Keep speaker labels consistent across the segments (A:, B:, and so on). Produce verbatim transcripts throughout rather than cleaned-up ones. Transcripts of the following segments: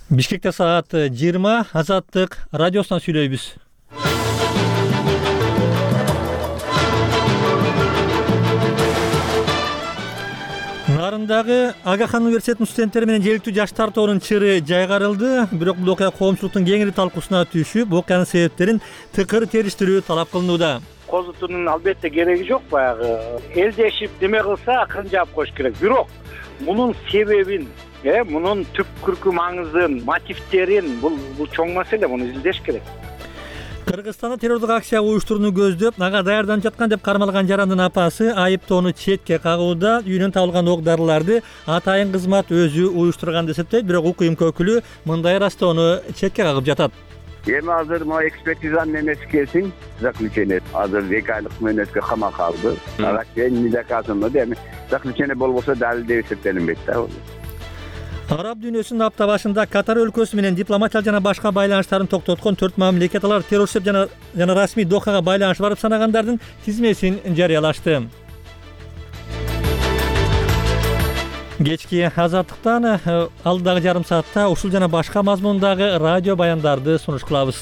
A: Бишкекте саат жыйырма, Азаттык радиосунан сүйлөйбүз. Нарындагы Агахан университетинин студенттери менен желектүү жаш тартоонун чыры жайгарылды. Бирок бул окуя коомчулуктун кеңири талкуусуна түшүп, окуянын себептерин тыкыр териштирүү талап кылынууда.
B: Козутуунун албетте кереги жок, баягы элдешип неме кылса акырын жаап коюш керек. Бирок мунун себебин, э, мунун түпкүркү маңызын, мотивтерин бул бул чоң маселе, муну изилдеш керек.
A: Кыргызстанда террордук акция уюштурууну көздөп, ага даярданып жаткан деп кармалган жарандын апасы айыптоону четке кагууда. Үйүнөн табылган ок дарыларды атайын кызмат өзү уюштурган деп эсептейт, бирок УКМК өкүлү мындай ырастоону четке кагып жатат.
C: Эми азыр могу экспертизанын немеси келсин, заключение азыр эки айлык мөөнөткө камакка алды. Ага чейин недоказано эми заключение болбосо далилдеп эсептелинбейт да.
A: Араб дүйнөсүнүн апта башында Катар өлкөсү менен дипломатиялык жана башка байланыштарын токтоткон төрт мамлекет алар террорчу жана жана расмий Дохага байланыш барып санагандардын тизмесин жарыялашты. Кечки Азаттыктан алдыдагы жарым саатта ушул жана башка мазмундагы радио баяндарды сунуш кылабыз.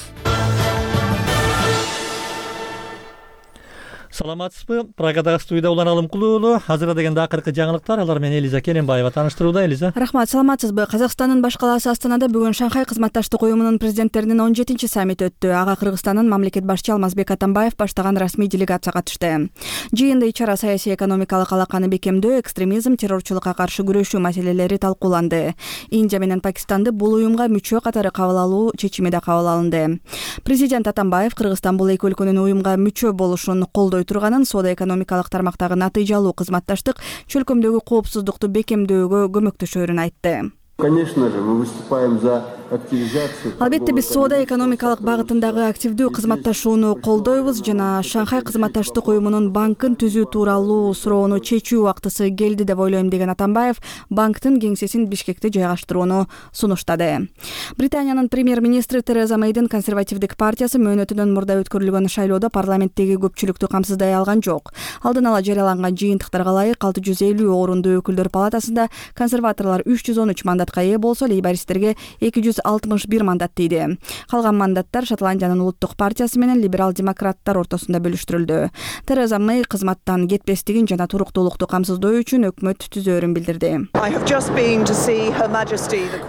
A: Саламатсызбы? Прагадагы студияда Улан Алымкулуу уулу. Азырда дегенде акыркы жаңылыктар, алар менен Элиза Келенбаева тааныштырууда. Элиза.
D: Рахмат, саламатсызбы? Казакстандын баш калаасы Астанада бүгүн Шанхай кызматташтык уюмунун президенттеринин он жетинчи саммити өттү. Ага Кыргызстандын мамлекет башчы Алмазбек Атамбаев баштаган расмий делегация катышты. Жыйында ичара саясий экономикалык алаканы бекемдөө, экстремизм, террорчулукка каршы күрөшүү маселелери талкууланды. Индия менен Пакистанды бул уюмга мүчө катары кабыл алуу чечими да кабыл алынды. Президент Атамбаев Кыргызстан бул эки өлкөнүн уюмга мүчө болушун колдой турганын, соода-экономикалык тармактагы натыйжалуу кызматташтык чөлкөмдөгү коопсуздукту бекемдөөгө көмөктөшөрүн айтты.
E: Конечно же, мы выступаем за активизацию.
D: Албетте биз соода-экономикалык багытындагы активдүү кызматташууну колдойбуз жана Шанхай кызматташтык уюмунун банкын түзүү тууралуу суроону чечүү убактысы келди деп ойлойм, деген Атамбаев банктын кеңсесин Бишкекте жайгаштырууну сунуштады. Британиянын премьер-министри Тереза Мэйдин консервативдик партиясы мөөнөтүнөн мурда өткөрүлгөн шайлоодо парламенттеги көпчүлүктү камсыздай алган жок. Алдын ала жарыяланган жыйынтыктарга ылайык алты жүз элүү орунду өкүлдөр палатасында консерваторлор үч жүз он үч мандатка ээ болсо, лейбористтерге эки жүз алтымыш бир мандат тийди. Калган мандаттар Шотландиянын улуттук партиясы менен либерал-демократтар ортосунда бөлүштүрүлдү. Тереза Мэй кызматтан кетпестигин жана туруктуулукту камсыздоо үчүн өкмөт түзөөрүн билдирди.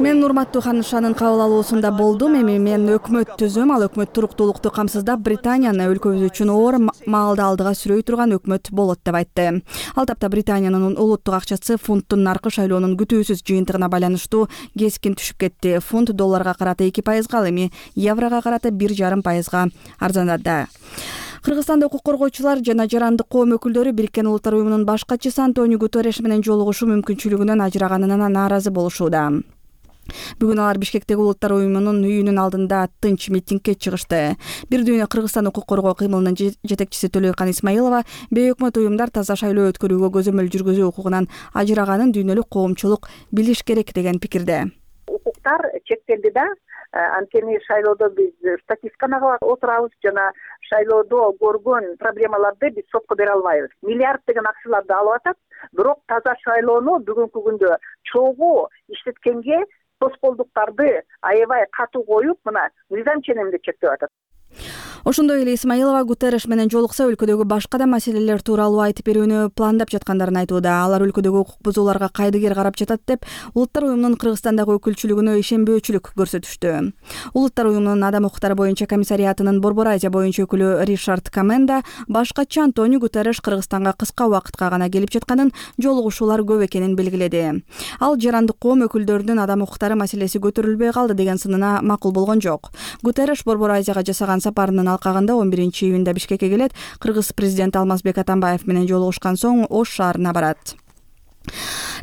D: Мен урматтуу ханышанын кабыл алуусунда болдум. Эми мен өкмөт түзөм, ал өкмөт туруктуулукту камсыздап, Британияны өлкөбүз үчүн оор маалда алдыга сүрөй турган өкмөт болот деп айтты. Ал тапта Британиянын улуттук акчасы фунттун наркы шайлоонун күтүүсүз жыйынтыгына байланыштуу кескин түшүп кетти. Фунт долларга карата эки пайызга, ал эми еврого карата бир жарым пайызга арзандады. Кыргызстанда укук коргоочулар жана жарандык коом өкүлдөрү Бириккен Улуттар уюмунун баш катчысы Антонио Гутерреш менен жолугушуу мүмкүнчүлүгүнөн ажыраганына нааразы болушууда. Бүгүн алар Бишкектеги Улуттар уюмунун үйүнүн алдында тынч митингге чыгышты. Бир дүйнө Кыргызстан укук коргоо кыймылынын жетекчиси Төлөйкан Исмаилова бейөкмөт уюмдар таза шайлоо өткөрүүгө көзөмөл жүргүзүү укугунан ажыраганын дүйнөлүк коомчулук билиш керек деген пикирде.
F: Укуктар чектелди да, анткени шайлоодо биз статистиканы кылып отурабыз жана шайлоодо көргөн проблемаларды биз сотко бере албайбыз. Миллиарддеген акчаларды алып атат, бирок таза шайлоону бүгүнкү күндө чогуу иштеткенге тоскоолдуктарды аябай катуу коюп, мына мыйзам ченеминде чектеп атат.
D: Ошондой эле Исмаилова Гутерреш менен жолукса өлкөдөгү башка да маселелер тууралуу айтып берүүнү пландап жаткандарын айтууда. Алар өлкөдөгү укук бузууларга кайдыгер карап жатат деп Улуттар уюмунун Кыргызстандагы өкүлчүлүгүнө ишенбөөчүлүк көрсөтүштү. Улуттар уюмунун адам укуктары боюнча комиссариатынын Борбор Азия боюнча өкүлү Ришард Каменда баш катчы Антонио Гутерреш Кыргызстанга кыска убакытка гана келип жатканын, жолугушуулар көп экенин белгиледи. Ал жарандык коом өкүлдөрүнүн адам укуктары маселеси көтөрүлбөй калды деген сынына макул болгон жок. Гутерреш Борбор Азияга жасаган сапарынын алкагында он биринчи июнда Бишкекке келет. Кыргыз президенти Алмазбек Атамбаев менен жолугушкан соң Ош шаарына барат.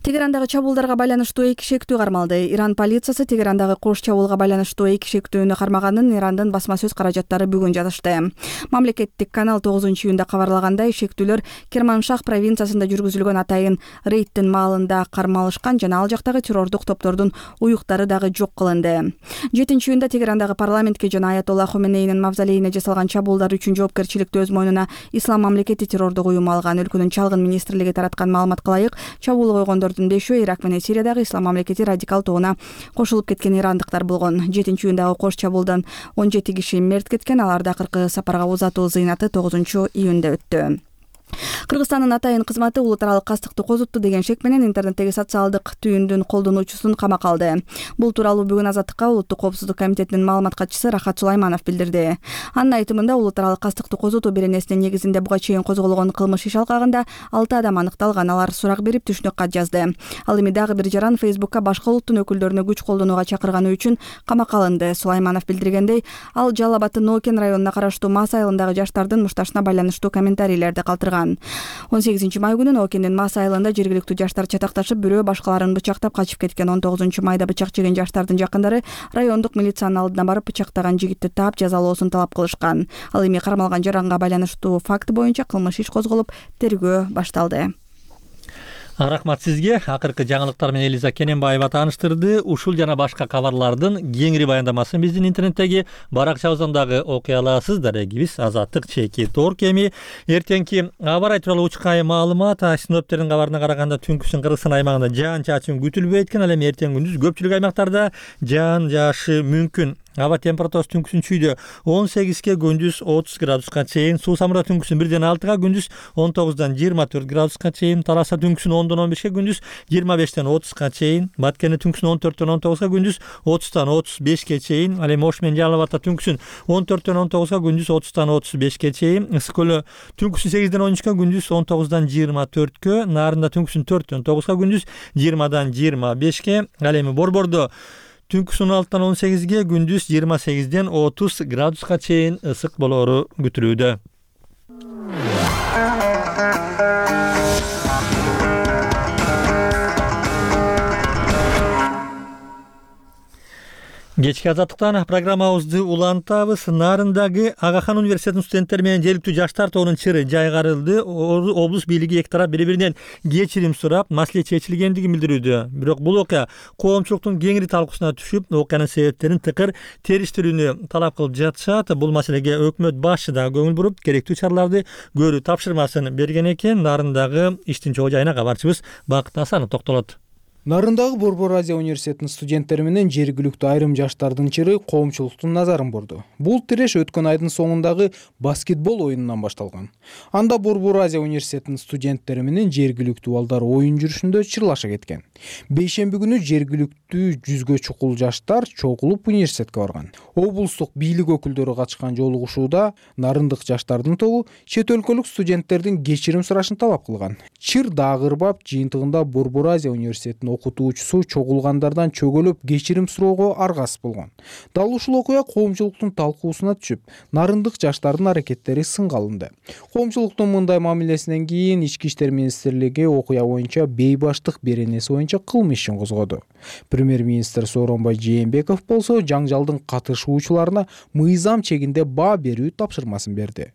D: Тегерандагы чабуулдарга байланыштуу эки шектүү кармалды. Иран полициясы Тегерандагы кош чабуулга байланыштуу эки шектүүнү кармаганын Ирандын басма сөз каражаттары бүгүн жазышты. Мамлекеттик канал тогузунчу июнда кабарлагандай, шектүүлөр Керманшах провинциясында жүргүзүлгөн атайын рейдтин маалында кармалышкан жана ал жактагы террордук топтордун уюктары дагы жок кылынды. жетинчи июнда Тегерандагы парламентке жана Аятолла Хоменейнин мавзолейине жасалган чабуулдар үчүн жоопкерчиликти өз мойнуна Ислам мамлекети террордук уюму алган. Өлкөнүн чалгын министрлиги тараткан маалыматка ылайык, чабуул койгондордун бешөө Ирак менен Сириядагы Ислам мамлекети радикал тобуна кошулуп кеткен ирандыктар болгон. жетинчи июндагы кош чабуулдан он жети киши мерт кеткен. Аларда акыркы сапарга узатуу зыйнаты тогузунчу июнда өттү. Кыргызстандын атайын кызматы улут аралык кастыкты козутту деген шек менен интернеттеги социалдык түйүндүн колдонуучусун камакка алды. Бул тууралуу бүгүн Азаттыкка Улуттук коопсуздук комитетинин маалымат катчысы Рахат Сулайманов билдирди. Анын айтымында улут аралык кастыкты козутуу беренесинин негизинде буга чейин козголгон кылмыш иш алкагында алты адам аныкталган. Алар сурак берип түшүнүк кат жазды. Ал эми дагы бир жаран Фейсбукка башка улуттун өкүлдөрүнө күч колдонууга чакырганы үчүн камакка алынды. Сулайманов билдиргендей, ал Жалал Абадтын Нокен районуна караштуу Мас айылындагы жаштардын мушташына байланыштуу комментарийлерди калтырган. он сегизинчи май күнү Окендин Мас айылында жергиликтүү жаштар чатакташып, бирөө башкаларын бычактап качып кеткен. он тогузунчу майда бычак жеген жаштардын жакындары райондук милициянын алдына барып бычактаган жигитти таап жазалоосун талап кылышкан. Ал эми кармалган жаранга байланыштуу факт боюнча кылмыш иш козголуп, тергөө башталды.
A: Рахмат сизге. Акыркы жаңылыктар менен Элиза Кененбаева тааныштырды. Ушул жана башка кабарлардын кеңири баяндамасын биздин интернеттеги баракчабыздан дагы окуй аласыз. Дарегибиз Азаттык чеки Торк. Эми эртеңки аба ырайы тууралуу учкай маалымат. Синоптиктердин кабарына караганда түнкүсүн Кыргызстан аймагында жаан чачын күтүлбөйт экен. Ал эми эртең күндүз көпчүлүк аймактарда жаан жаашы мүмкүн. Аба температурасы түнкүсүн чүйдө он сегизге, күндүз отуз градуска чейин. Суу Самура түнкүсүн бирден алтыга, күндүз он тогуздан жыйырма төрт градуска чейин. Таласа түнкүсүн ондон он бешке, күндүз жыйырма бештен отузга чейин. Баткене түнкүсүн он төрттөн он тогузга, күндүз отуздан отуз бешке чейин. Ал эми Ош менен Жалал Абадта түнкүсүн он төрттөн он тогузга, күндүз отуздан отуз бешке чейин. Ысык көлө түнкүсүн сегизден он үчкө, күндүз он тогуздан жыйырма төрткө. Нарында түнкүсүн төрттөн тогузга, күндүз жыйырмадан жыйырма бешке. Ал эми Борбордо түнкүсүн он алтыдан он сегизге, күндүз жыйырма сегизден отуз градуска чейин ысык болоору күтүлүүдө. Кечки Азаттыктан программабызды улантабыз. Нарындагы Агахан университетинин студенттери менен жергиликтүү жаштар тобунун чыры жайгарылды. Облус бийлиги эки тарап бири-биринен кечирим сурап, маселе чечилгендигин билдирүүдө. Бирок бул окуя коомчулуктун кеңири талкуусуна түшүп, окуянын себептерин тыкыр териштирүүнү талап кылып жатышат. Бул маселеге өкмөт башчы да көңүл буруп, керектүү чараларды көрүү тапшырмасын берген экен. Нарындагы иштин чоо жайына кабарчыбыз Бакыт Асанов токтолот.
G: Нарындагы Борбор Азия университетинин студенттери менен жергиликтүү айрым жаштардын чыры коомчулуктун назарын бурду. Бул тиреш өткөн айдын соңундагы баскетбол оюнунан башталган. Анда Борбор Азия университетинин студенттери менен жергиликтүү балдар оюн жүрүшүндө чырлаша кеткен. Бейшемби күнү жергиликтүү жүзгө чукул жаштар чогулуп университетке барган. Облустук бийлик өкүлдөрү катышкан жолугушууда нарындык жаштардын тобу чет өлкөлүк студенттердин кечирим сурашын талап кылган. Чыр дагырбап жыйынтыгында Борбор Азия университетинин окутуучусу чогулгандардан чөгөлөп кечирим суроого аргасыз болгон. Дал ушул окуя коомчулуктун талкуусуна түшүп, нарындык жаштардын аракеттери сынга алынды. Коомчулуктун мындай мамилесинен кийин Ички иштер министрлиги окуя боюнча бейбаштык беренеси боюнча кылмыш ишин козгоду. Премьер-министр Сооронбай Жээнбеков болсо жаңжалдын катышуучуларына мыйзам чегинде баа берүү тапшырмасын берди.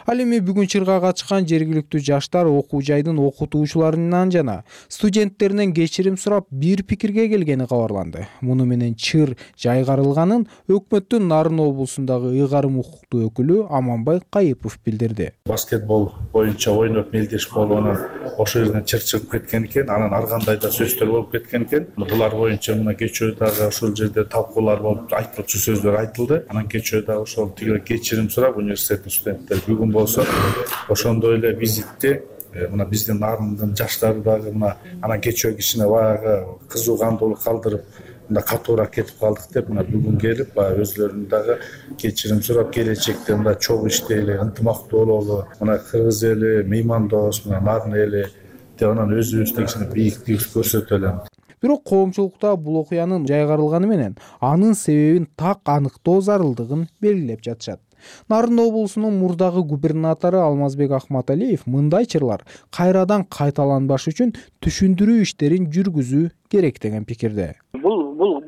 G: Ал эми бүгүн чырга катышкан жергиликтүү жаштар окуу жайдын окутуучуларынан жана студенттеринен кечирим сурап бир пикирге келгени кабарланды. Муну менен чыр жайгарылганын өкмөттүн Нарын облусундагы ыйгарым укуктуу өкүлү Аманбай Кайыпов билдирди.
H: Баскетбол боюнча ойноп мелдешип болуп, анан ошол жерден чыр чыгып кеткен экен, анан ар кандай да сөздөр болуп кеткен экен. Булар боюнча мына кечөө дагы ошол жерде талкуулар болуп, айтылчу сөздөр айтылды. Анан кечөө дагы ошол тиги кечирим сурап университеттин студенттери бүгүн болсо ошондой эле визитти мына биздин Нарындын жаштары дагы мына анан кечөө кичине баягы кызуу кандуулук калтырып мына катуураак кетип калдык деп мына бүгүн келип баягы өзлөрүнүн дагы кечирим сурап келечекте мына чогуу иштейли, ынтымактуу бололу, мына кыргыз эли меймандос, мына Нарын эли деп анан өзүбүздү кичине бийиктик көрсөтөлү.
G: Бирок коомчулукта бул окуянын жайгарылганы менен анын себебин так аныктоо зарылдыгын белгилеп жатышат. Нарын облусунун мурдагы губернатору Алмазбек Ахматалиев мындай чырлар кайрадан кайталанбаш үчүн түшүндүрүү иштерин жүргүзүү керек деген пикирде.
B: Бул бул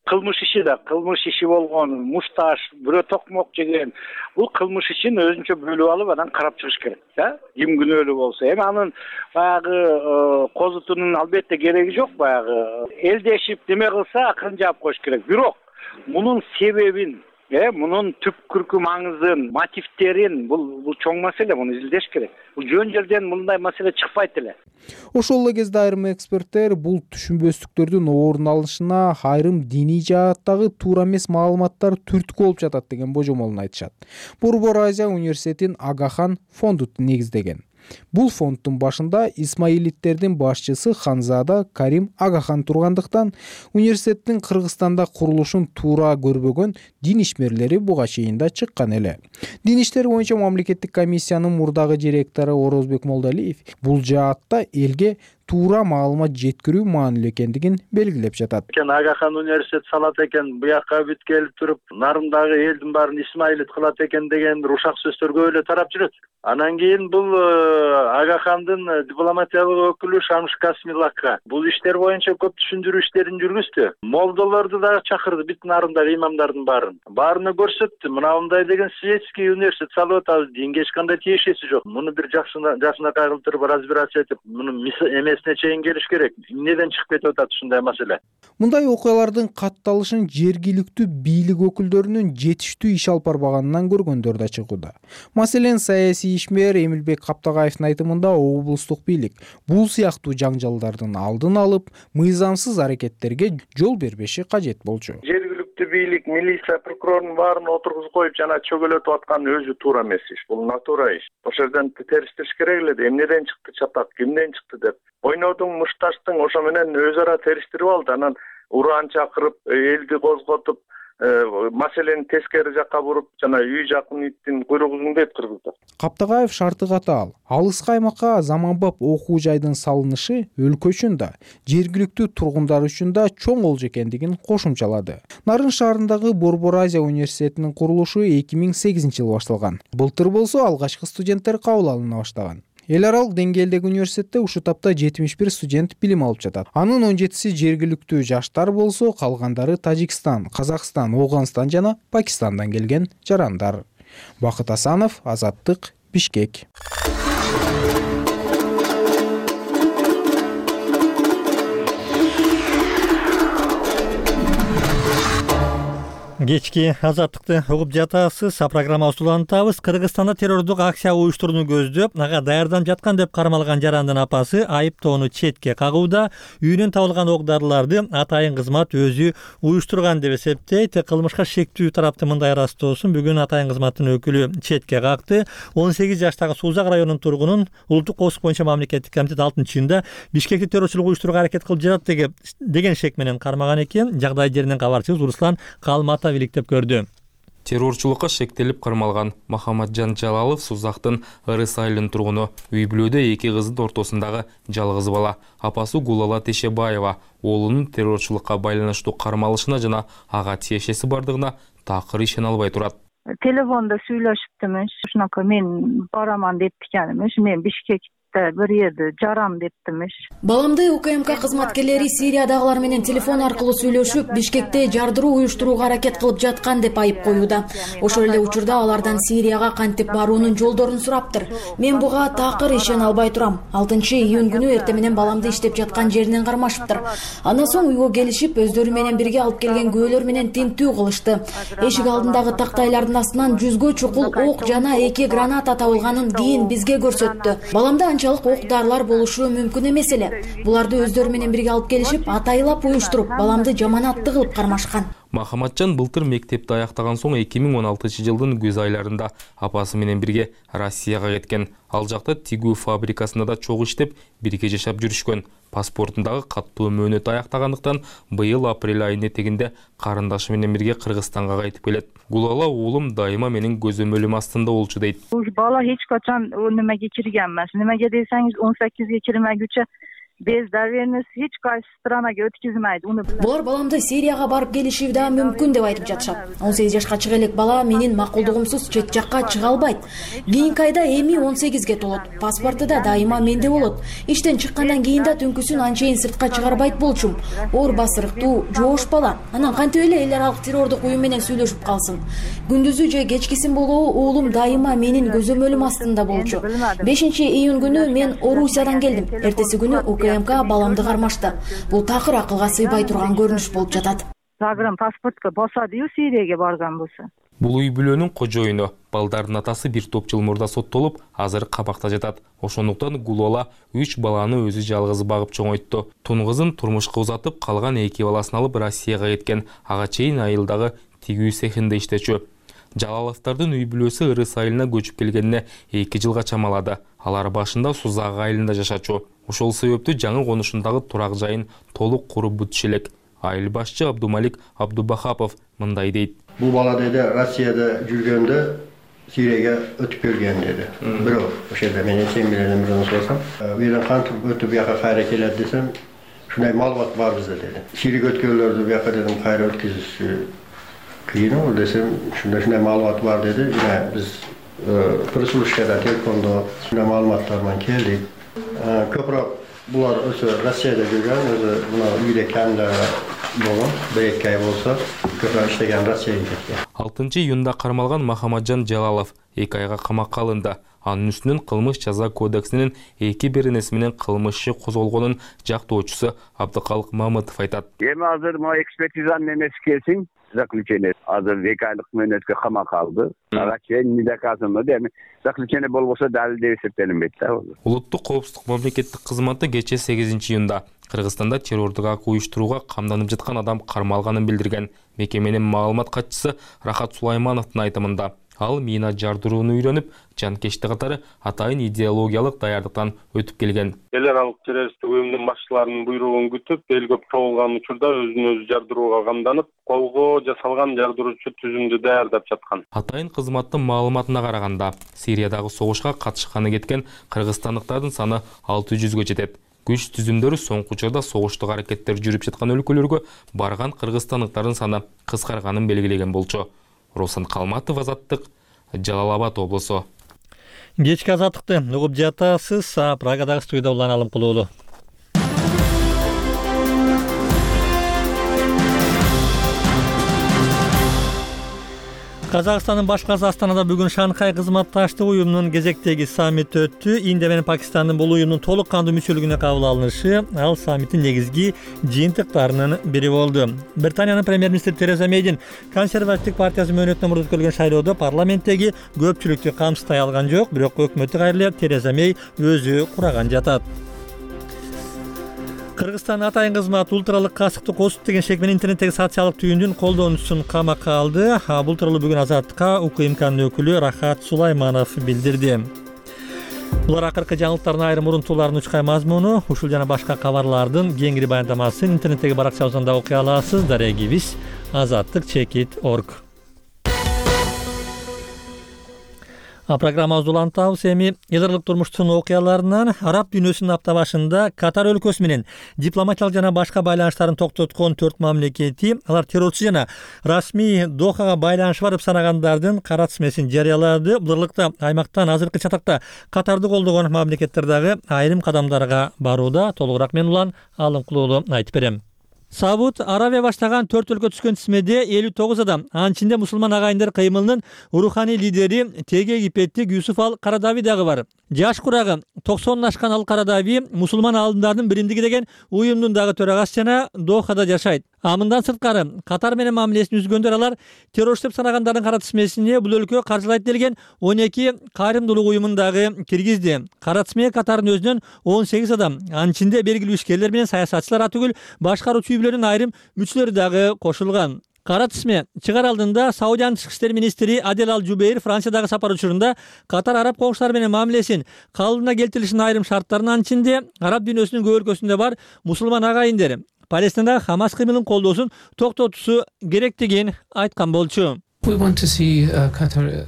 B: кылмыш иши да кылмыш иши болгон, мушташ, бирөө токмок жеген. Бул кылмыш ишин өзүнчө бөлүп алып анан карап чыгыш керек, да? Ким күнөөлүү болсо. Эми анын баягы козутунун албетте кереги жок, баягы элдешип неме кылса акырын жаап коюш керек. Бирок мунун себебин э мунун түпкүркү маңызын, мотивтерин бул бул чоң маселе, муну изилдеш керек. Бул жөн жерден мындай маселе чыкпайт эле.
G: Ошол эле кезде айрым эксперттер бул түшүнбөстүктөрдүн орун алышына айрым диний жааттагы туура эмес маалыматтар түрткү болуп жатат деген божомолун айтышат. Борбор Азия университетин Агахан фонду негиздеген. Бул фонддун башында исмаилиттердин башчысы Ханзада Карим Агахан тургандыктан университеттин Кыргызстанда курулушун туура көрбөгөн дин ишмерлери буга чейин да чыккан эле. Дин иштери боюнча мамлекеттик комиссиянын мурдагы директору Орозбек Молдалиев бул жаатта элге туура маалымат жеткирүү маанилүү экендигин белгилеп жатат.
I: Агахан университет салат экен, буякка бүт келип туруп, нарымдагы элдин баарын исмаилит кылат экен деген рушак сөздөр көп эле тарап жүрөт. Анан кийин бул Агахандын дипломатиялык өкүлү Шамш Касмилакка бул иштер боюнча көп түшүндүрүү иштерин жүргүздү. Молдолорду да чакырды, бүт нарымдагы имамдардын баарын. Баарына көрсөттү. Мына мындай деген светский университет салып атабыз, динге эч кандай тиешеси жок. Муну бир жакшына жакшына кайгылып туруп разбираться этип, муну эмесине чейин келиш керек. Эмнеден чыгып кетип атат ушундай маселе?
G: Мындай окуялардын катталышын жергиликтүү бийлик өкүлдөрүнүн жетиштүү иш алып барбаганынан көргөндөр да чыгууда. Маселен, саясий ишмер Эмилбек Каптагаевдин айтымында облустук бийлик бул сыяктуу жаңжалдардын алдын алып, мыйзамсыз аракеттерге жол бербеши кажет болчу.
I: Жергиликтүү бийлик, милиция, прокурордун баарын отургузуп коюп жана чөгөлөтүп аткан өзү туура эмес иш. Бул натура иш. Ошол жерден териштириш керек эле. Эмнеден чыкты чатак, кимден чыкты деп. Ойнодуң, мушташтың ошо менен өз ара териштирип алды. Анан ураан чакырып, элди козготуп, маселени тескери жакка буруп, жана үй жакын иттин куйругун дейт кыргыздар.
G: Каптагаев шарты катаал. Алыс аймакка заманбап окуу жайдын салынышы өлкө үчүн да, жергиликтүү тургундар үчүн да чоң олжо экендигин кошумчалады. Нарын шаарындагы Борбор Азия университетинин курулушу эки миң сегизинчи жылы башталган. Былтыр болсо алгачкы студенттер кабыл алына баштаган. Эл аралык деңгээлдеги университетте ушул тапта жетимиш бир студент билим алып жатат. Анын он жетиси жергиликтүү жаштар болсо, калгандары Тажикстан, Казакстан, Ооганстан жана Пакистандан келген жарандар. Бакыт Асанов, Азаттык, Бишкек.
A: Кечки азаттыкты угуп жатасыз. Программабызды улантабыз. Кыргызстанда террордук акция уюштурууну көздөп, ага даярданып жаткан деп кармалган жарандын апасы айыптоону четке кагууда. Үйүнөн табылган ок-дарыларды атайын кызмат өзү уюштурган деп эсептейт. Кылмышка шектүү тарапты мындай ырастоосун бүгүн атайын кызматтын өкүлү четке какты. он сегиз жаштагы Сузак районунун тургунун улуттук коопсуздук боюнча мамлекеттик комитет алтынчы июнда Бишкекти террорчулук уюштурууга аракет кылып жатат деген шек менен кармаган экен. Жагдай жеринен кабарчыбыз Руслан Калмата иликтеп көрдү.
J: Террорчулукка шектелип кармалган Махамаджан Жалалов Сузактын Ырыс айылынын тургуну. Үй бүлөдө эки кыздын ортосундагы жалгыз бала. Апасы Гулала Тешебаева оолунун террорчулукка байланыштуу кармалышына жана ага тиешеси бардыгына такыр ишене албай турат.
K: Телефонда сүйлөшүптүмүш. Ушунака мен бараман дептикенмиш. Мен Бишкекте бир жерде жарам дептимиш.
L: Баламды УКМК кызматкерлери Сириядагылар менен телефон аркылуу сүйлөшүп, Бишкекте жардыруу уюштурууга аракет кылып жаткан деп айып коюуда. Ошол эле учурда алардан Сирияга кантип баруунун жолдорун сураптыр. Мен буга такыр ишене албай турам. алтынчы июнь күнү эртең менен баламды иштеп жаткан жеринен кармашыптыр. Андан соң үйгө келишип, өздөрү менен бирге алып келген күбөлөр менен тинтүү кылышты. Эшик алдындагы тактайлардын астынан жүзгө чукул ок жана эки граната табылганын кийин бизге көрсөттү. Баламда анчалык ок-дарылар болушу мүмкүн эмес эле. Буларды өздөрү менен бирге алып келишип, атайлап уюштуруп, баламды жаманатты кылып кармашкан.
J: Махаматжан былтыр мектепти аяктаган соң эки миң он алтынчы жылдын күз айларында апасы менен бирге Россияга кеткен. Ал жакта тигүү фабрикасында да чогуу иштеп, бирге жашап жүрүшкөн. Паспортундагы каттуу мөөнөтү аяктагандыктан быйыл апрель айынын этегинде карындашы менен бирге Кыргызстанга кайтып келет. Гулала уулум дайыма менин көзөмөлүм астында болчу дейт.
K: Бул бала эч качан немеге кирген эмес. Немеге десеңиз он сегизге кирмегүчө без доверенности эч кайсы странаga өткөзмөйт.
L: Булар баламды Сирияга барып келиши да мүмкүн деп айтып жатышат. он сегиз жашка чыга элек бала менин макулдугумсуз чет жакка чыга албайт. Кийинки айда эми он сегизге толот. Паспорту да дайыма менде болот. Иштен чыккандан кийин да түнкүсүн анчейин сыртка чыгарбайт болчум. Оор басырыктуу, жоош бала. Анан кантип эле эл аралык террордук уюм менен сүйлөшүп калсын. Күндүзү же кечкисин болобу уулум дайыма менин көзөмөлүм астында болчу. бешинчи июнь күнү мен Орусиядан келдим. Эртеси күнү УКМК баламды кармашты. Бул такыр акылга сыйбай турган көрүнүш болуп жатат.
K: Загран паспортко басадыю Сирияга барган болсо.
J: Бул үй бүлөнүн кожоюну, балдардын атасы бир топ жыл мурда соттолуп, азыр кабакта жатат. Ошондуктан Гулола үч баланы өзү жалгыз багып чоңойтту. Тун кызын турмушка узатып, калган эки баласын алып Россияга кеткен. Ага чейин айылдагы тигүү цехинде иштечү. Жалаловдордун үй бүлөсү Ырыс айылына көчүп келгенине эки жылга чамалады. Алар башында Сузак айылында жашачу. Ошол себептүү жаңы конушундагы турак жайын толук куруп бүтүшү элек. Айыл башчы Абдумалик Абдубахапов мындай дейт.
M: Бул бала деди Россияда жүргөндө Сирияга өтүп келген деди. Бирок ошол жерде мен сен менен бирден сорасам, бирден кантип өтүп бияка кайра келет десем, ушундай маалымат бар бизде деди. Сирияга өткөнлөрдү бияка дедим кайра өткөзүш кыйын ол десем, ушундай ушундай маалымат бар деди. Биз пресс-службада телефондо ушундай маалыматтар менен келдик. Көбүрөөк булар өзү Россияда жүргөн, өзү мына үйдө камда болгон, бир эки ай болсо, көбүрөөк иштеген Россияга кеткен.
J: алтынчы июнда кармалган Махамаджан Жалалов эки айга камакка алынды. Анын үстүнөн кылмыш жаза кодексинин эки беренеси менен кылмыш иши козголгонун жактоочусу Абдыкалык Мамытов айтат.
C: Эми азыр могу экспертизанын эмеси келсин, заключение азыр эки айлык мөөнөткө камакка алды. Ага чейин недоказанно деми заключение болбосо далил деп эсептелинбейт да.
J: Улуттук коопсуздук мамлекеттик кызматы кечээ сегизинчи июнда Кыргызстанда террордук акт уюштурууга камданып жаткан адам кармалганын билдирген. Мекеменин маалымат катчысы Рахат Сулаймановдун айтымында, ал мина жардырууну үйрөнүп, жанкечти катары атайын идеологиялык даярдыктан өтүп келген.
N: Эл аралык террористтик уюмдун башчыларынын буйругун күтүп, эл көп чогулган учурда өзүн өзү жардырууга камданып, колго жасалган жардыруучу түзүмдү даярдап жаткан.
J: Атайын кызматтын маалыматына караганда, Сириядагы согушка катышканы кеткен кыргызстандыктардын саны алты жүзгө жетет. Күч түзүмдөрү соңку учурда согуштук аракеттер жүрүп жаткан өлкөлөргө барган кыргызстандыктардын саны кыскарганын белгилеген болчу. Руслан Калматов, Азаттык, Жалал Абад облусу.
A: Кечки азаттыкты угуп жатасыз. Прагадагы студияда Улан Алымкулуулу. Казакстандын башкасы Астанада бүгүн Шанхай кызматташтык уюмунун кезектеги саммити өттү. Индия менен Пакистандын бул уюмдун толук кандуу мүчөлүгүнө кабыл алынышы ал саммиттин негизги жыйынтыктарынын бири болду. Британиянын премьер-министри Тереза Мейдин консервативдик партиясы мөөнөтүнөн мурда өткөрүлгөн шайлоодо парламенттеги көпчүлүктү камсыздай алган жок, бирок өкмөттү кайрылы Тереза Мей өзү кураган жатат. Кыргызстан атайын кызмат ультралык касыкты косуп деген шек менен интернеттеги социалдык түйүндүн колдонуучусун камакка алды. Бул тууралуу бүгүн Азаттыкка УКМКнын өкүлү Рахат Сулайманов билдирди. Булар акыркы жаңылыктардын айрым урунтууларынын учкай мазмуну, ушул жана башка кабарлардын кеңири баяндамасын интернеттеги баракчабыздан окуй аласыз. Дарегибиз азаттык чекит точка орг. А программабызды улантабыз. Эми эл аралык турмуштун окуяларынан араб дүйнөсүнүн апта башында Катар өлкөсү менен дипломатиялык жана башка байланыштарын токтоткон төрт мамлекети, алар террорчу жана расмий Дохага байланышы бар деп санагандардын кара тизмесин жарыялады. Бул аралыкта аймактан азыркы чатакта Катарды колдогон мамлекеттер дагы айрым кадамдарга барууда. Толугураак мен Улан Алымкулуулу айтып берем. Сауд Аравия баштаган төрт өлкө түшкөн тизмеде элүү тогуз адам, анын ичинде мусулман агайындар кыймылынын руханий лидери Теге Египеттик Юсуф ал Карадави дагы бар. Жаш курагы токсондон ашкан ал Карадави мусулман аалымдардын биримдиги деген уюмдун дагы төрагасы жана Дохада жашайт. А мындан сырткары Катар менен мамилесин үзгөндөр алар террорчу деп санагандардын кара тизмесине бул өлкө каржылайт делген он эки кайрымдуулук уюмун дагы киргизди. Кара тизмеге Катардын өзүнөн он сегиз адам, анын ичинде белгилүү ишкерлер менен саясатчылар түгүл башкаруучу үй бүлөнүн айрым мүчөлөрү дагы кошулган. Кара тизме чыгар алдында Саудиянын тышкы иштер министри Адел Ал Жубейр Франциядагы сапар учурунда Катар араб коңшулары менен мамилесин калыбына келтирилишин айрым шарттарын, анын ичинде араб дүйнөсүнүн көп өлкөсүндө бар мусулман агайындар Палестинадагы Хамас кыймылын колдоосун токтотуусу керектигин айткан болчу.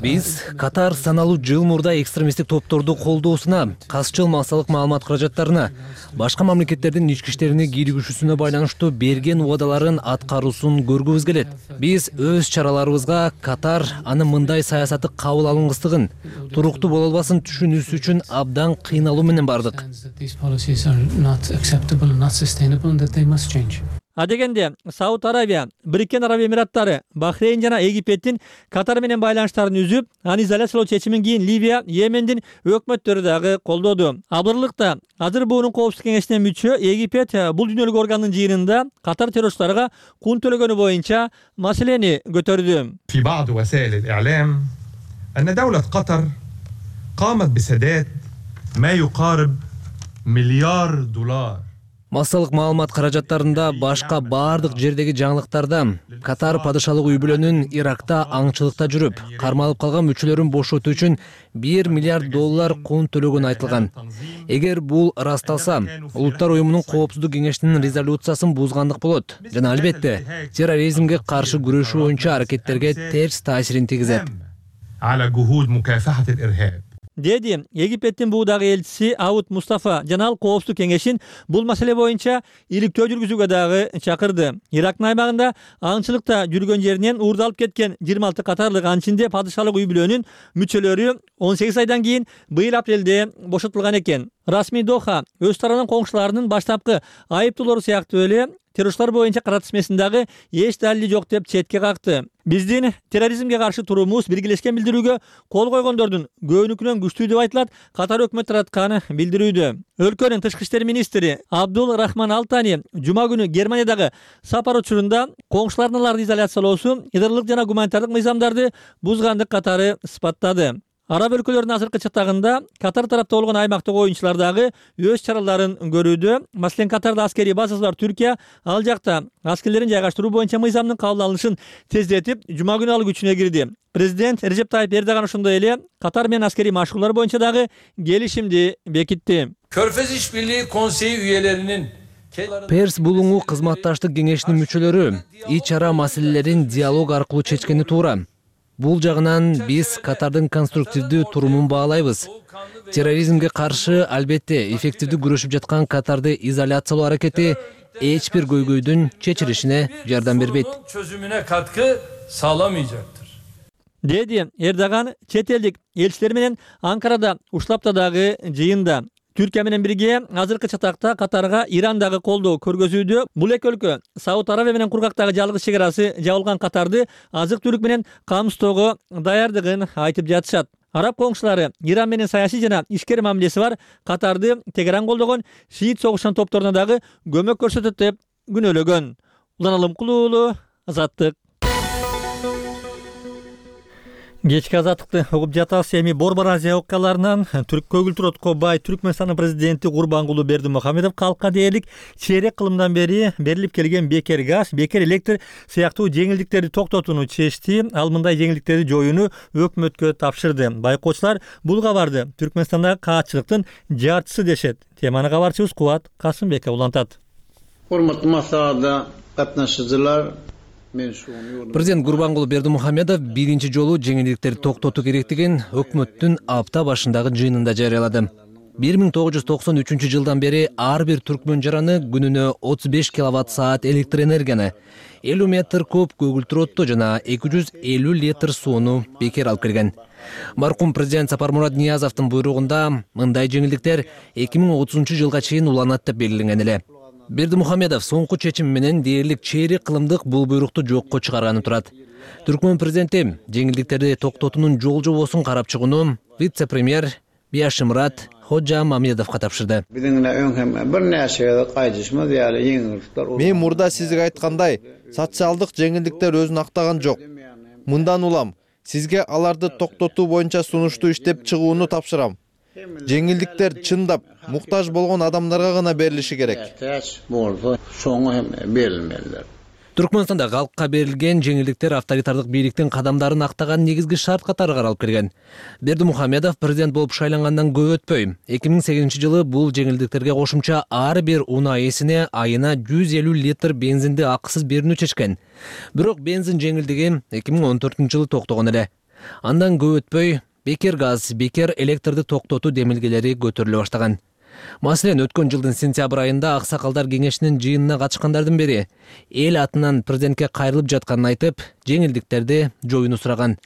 O: Биз Катар саналуу жыл мурда экстремисттик топторду колдоосуна, касчыл массалык маалымат каражаттарына, башка мамлекеттердин ички иштерине кийлигишүүсүнө байланыштуу берген убадаларын аткаруусун көргүбүз келет. Биз өз чараларыбызга Катар анын мындай саясаты кабыл алынгыстыгын, туруктуу боло албасын түшүнүүсү үчүн абдан кыйналуу менен бардык.
A: Адегенде Сауд Арабия, Бириккен Араб Эмираттары, Бахрейн жана Египеттин Катар менен байланыштарын үзүп, аны изоляциялоо чечимин кийин Ливия, Йемендин өкмөттөрү дагы колдоду. Абырлыкта азыр буунун коопсуздук кеңешине мүчө Египет бул дүйнөлүк органдын жыйынында Катар террористтарга кун төлөгөнү боюнча маселени көтөрдү.
P: في بعض وسائل الإعلام أن دولة قطر قامت بسداد ما يقارب مليار دولار.
O: Массалык маалымат каражаттарында башка бардык жердеги жаңылыктарда Катар падышалык үй бүлөнүн Иракта аңчылыкта жүрүп, кармалып калган мүчөлөрүн бошотуу үчүн бир миллиард доллар кун төлөгөнү айтылган. Эгер бул ырасталса, Улуттар уюмунун коопсуздук кеңешинин резолюциясын бузгандык болот жана албетте терроризмге каршы күрөшүү боюнча аракеттерге терс таасирин тийгизет.
P: على جهود مكافحة الإرهاب.
A: Деди Египеттин буудагы элчиси Ауд Мустафа жана ал коопсуздук кеңешин бул маселе боюнча иликтөө жүргүзүүгө дагы чакырды. Ирактын аймагында аңчылыкта жүргөн жеринен уурдалып кеткен жыйырма алты катарлык анчинде падышалык үй бүлөнүн мүчөлөрү он сегиз айдан кийин быйыл апрелде бошотулган экен. Расмий Доха өз тарабынан коңшуларынын баштапкы айыптоолору сыяктуу эле террористтар боюнча кыратмасындагы эч далили жок деп четке какты. Биздин терроризмге каршы туруумуз биргелешкен билдирүүгө кол койгондордун көбүнүкүнөн күчтүү деп айтылат Катар өкмөтү тараткан билдирүүдө. Өлкөнүн тышкы иштер министри Абдул Рахман Алтани жума күнү Германиядагы сапар учурунда коңшулардын аларды изоляциялоосу идырлык жана гуманитардык мыйзамдарды бузгандык катары сыпаттады. Араб өлкөлөрүнүн азыркы чатагында Катар тарапта болгон аймактык оюнчулар дагы өз чараларын көрүүдө. Маселен, Катарда аскерий базасы бар Түркия ал жакта аскерлерин жайгаштыруу боюнча мыйзамдын кабыл алынышын тездетип, жума күнү ал күчүнө кирди. Президент Режеп Тайып Эрдоган ошондой эле Катар менен аскерий машыгуулар боюнча дагы келишимди бекитти.
Q: Körfez İşbirliği Konseyi üyelerinin
O: Перс булуңу кызматташтык кеңешинин мүчөлөрү ич ара маселелерин диалог аркылуу чечкени туура. Бул жагынан биз Катардын конструктивдүү турумун баалайбыз. Терроризмге каршы албетте эффективдүү күрөшүп жаткан Катарды изоляциялоо аракети эч бир көйгөйдүн чечилишине жардам бербейт.
Q: Çözümüne katkı sağlamayacaktır.
A: Деди Эрдоган чет элдик элчилер менен Анкарада уштапта дагы жыйында. Түркия менен бирге азыркы чатакта Катарга Ирандагы колдоо көргөзүүдө. Бул эки өлкө Сауд Арабия менен кургактагы жалгыз чек арасы жабылган Катарды азык-түлүк менен камсыздоого даярдыгын айтып жатышат. Араб коңшулары Иран менен саясий жана ишкер мамилеси бар Катарды Тегеран колдогон шиит согушчан топторуна дагы көмөк көрсөтөт деп күнөөлөгөн. Улан Алымкулуу уулу, Азаттык. Кечки азаттыкты угуп жатабыз. Эми Борбор Азия окуяларынан түрк көгүлтүрөткө бай Түркмөнстандын президенти Гурбангулуу Бердимухамедов калкка дээрлик чейрек кылымдан бери берилип келген бекер газ, бекер электр сыяктуу жеңилдиктерди токтотууну чечти. Ал мындай жеңилдиктерди жоюуну өкмөткө тапшырды. Байкоочулар бул кабарды Түркмөнстандагы каатчылыктын жартысы дешет. Теманы кабарчыбыз Кубат Касымбеков улантат.
R: Урматтуу маслихатта катнашчылар,
O: Президент Гурбангулуу Бердимухамедов биринчи жолу жеңилдиктерди токтотуу керектигин өкмөттүн апта башындагы жыйынында жарыялады. бир миң тогуз жүз токсон үчүнчү жылдан бери ар бир түркмөн жараны күнүнө отуз беш киловатт саат электр энергияны, элүү метр куб көгүлтүр отту жана эки жүз элүү литр сууну бекер алып келген. Маркум президент Сапармурат Ниязовдун буйругунда мындай жеңилдиктер эки миң отузунчу жылга чейин уланат деп белгиленген эле. Бердимухамедов соңку чечим менен дээрлик чейрек кылымдык бул буйрукту жокко чыгарганы турат. Түркмөн президенти жеңилдиктерди токтотуунун жол жобосун карап чыгууну вице-премьер Бияшимрат Ходжа Мамедовго тапшырды.
S: Мен мурда сизге айткандай, социалдык жеңилдиктер өзүн актаган жок. Мындан улам сизге аларды токтотуу боюнча сунушту иштеп чыгууну тапшырам. Жеңилдиктер чындап муктаж болгон адамдарга гана берилиши керек.
O: Түркмөнстанда калкка берилген жеңилдиктер авторитардык бийликтин кадамдарын актаган негизги шарт катары каралып келген. Бердимухамедов президент болуп шайлангандан көп өтпөй, эки миң сегизинчи жылы бул жеңилдиктерге кошумча ар бир унаа ээсине айына жүз элүү литр бензинди акысыз берүүнү чечкен. Бирок бензин жеңилдиги эки миң он төртүнчү жылы токтогон эле. Андан көп өтпөй бекер газ, бекер электрди токтотуу демилгелери көтөрүлө баштаган. Маселен, өткөн жылдын сентябрь айында Аксакалдар кеңешинин жыйынына катышкандардын бири эл атынан президентке кайрылып жатканын айтып, жеңилдиктерди жоюуну сураган.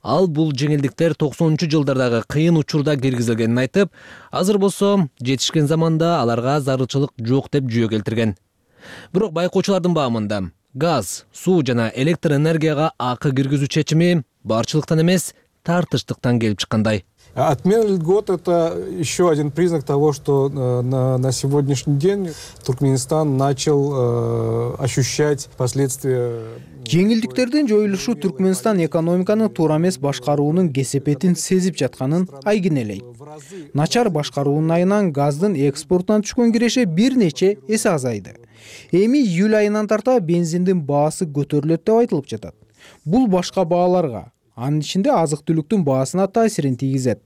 O: Ал бул жеңилдиктер токсонунчу жылдардагы кыйын учурда киргизилгенин айтып, азыр болсо жетишкен заманда аларга зарылчылык жок деп жүйө келтирген. Бирок байкоочулардын баамында газ, суу жана электр энергияга акы киргизүү чечими барчылыктан эмес, тартыштыктан келип чыккандай.
T: Отмена льгот – это еще один признак того, что на, на сегодняшний день Туркменистан начал э, ощущать последствия.
G: Жеңилдиктердин жоюлушу Түркменстан экономиканын туура эмес башкаруунун кесепетин сезип жатканын айгинелейт. Начар башкаруунун айынан газдын экспортуна түшкөн киреше бир нече эсе азайды. Эми июль айынан тарта бензиндин баасы көтөрүлөт деп айтылып жатат. Бул башка бааларга, анын ичинде азык-түлүктүн баасына таасирин тийгизет.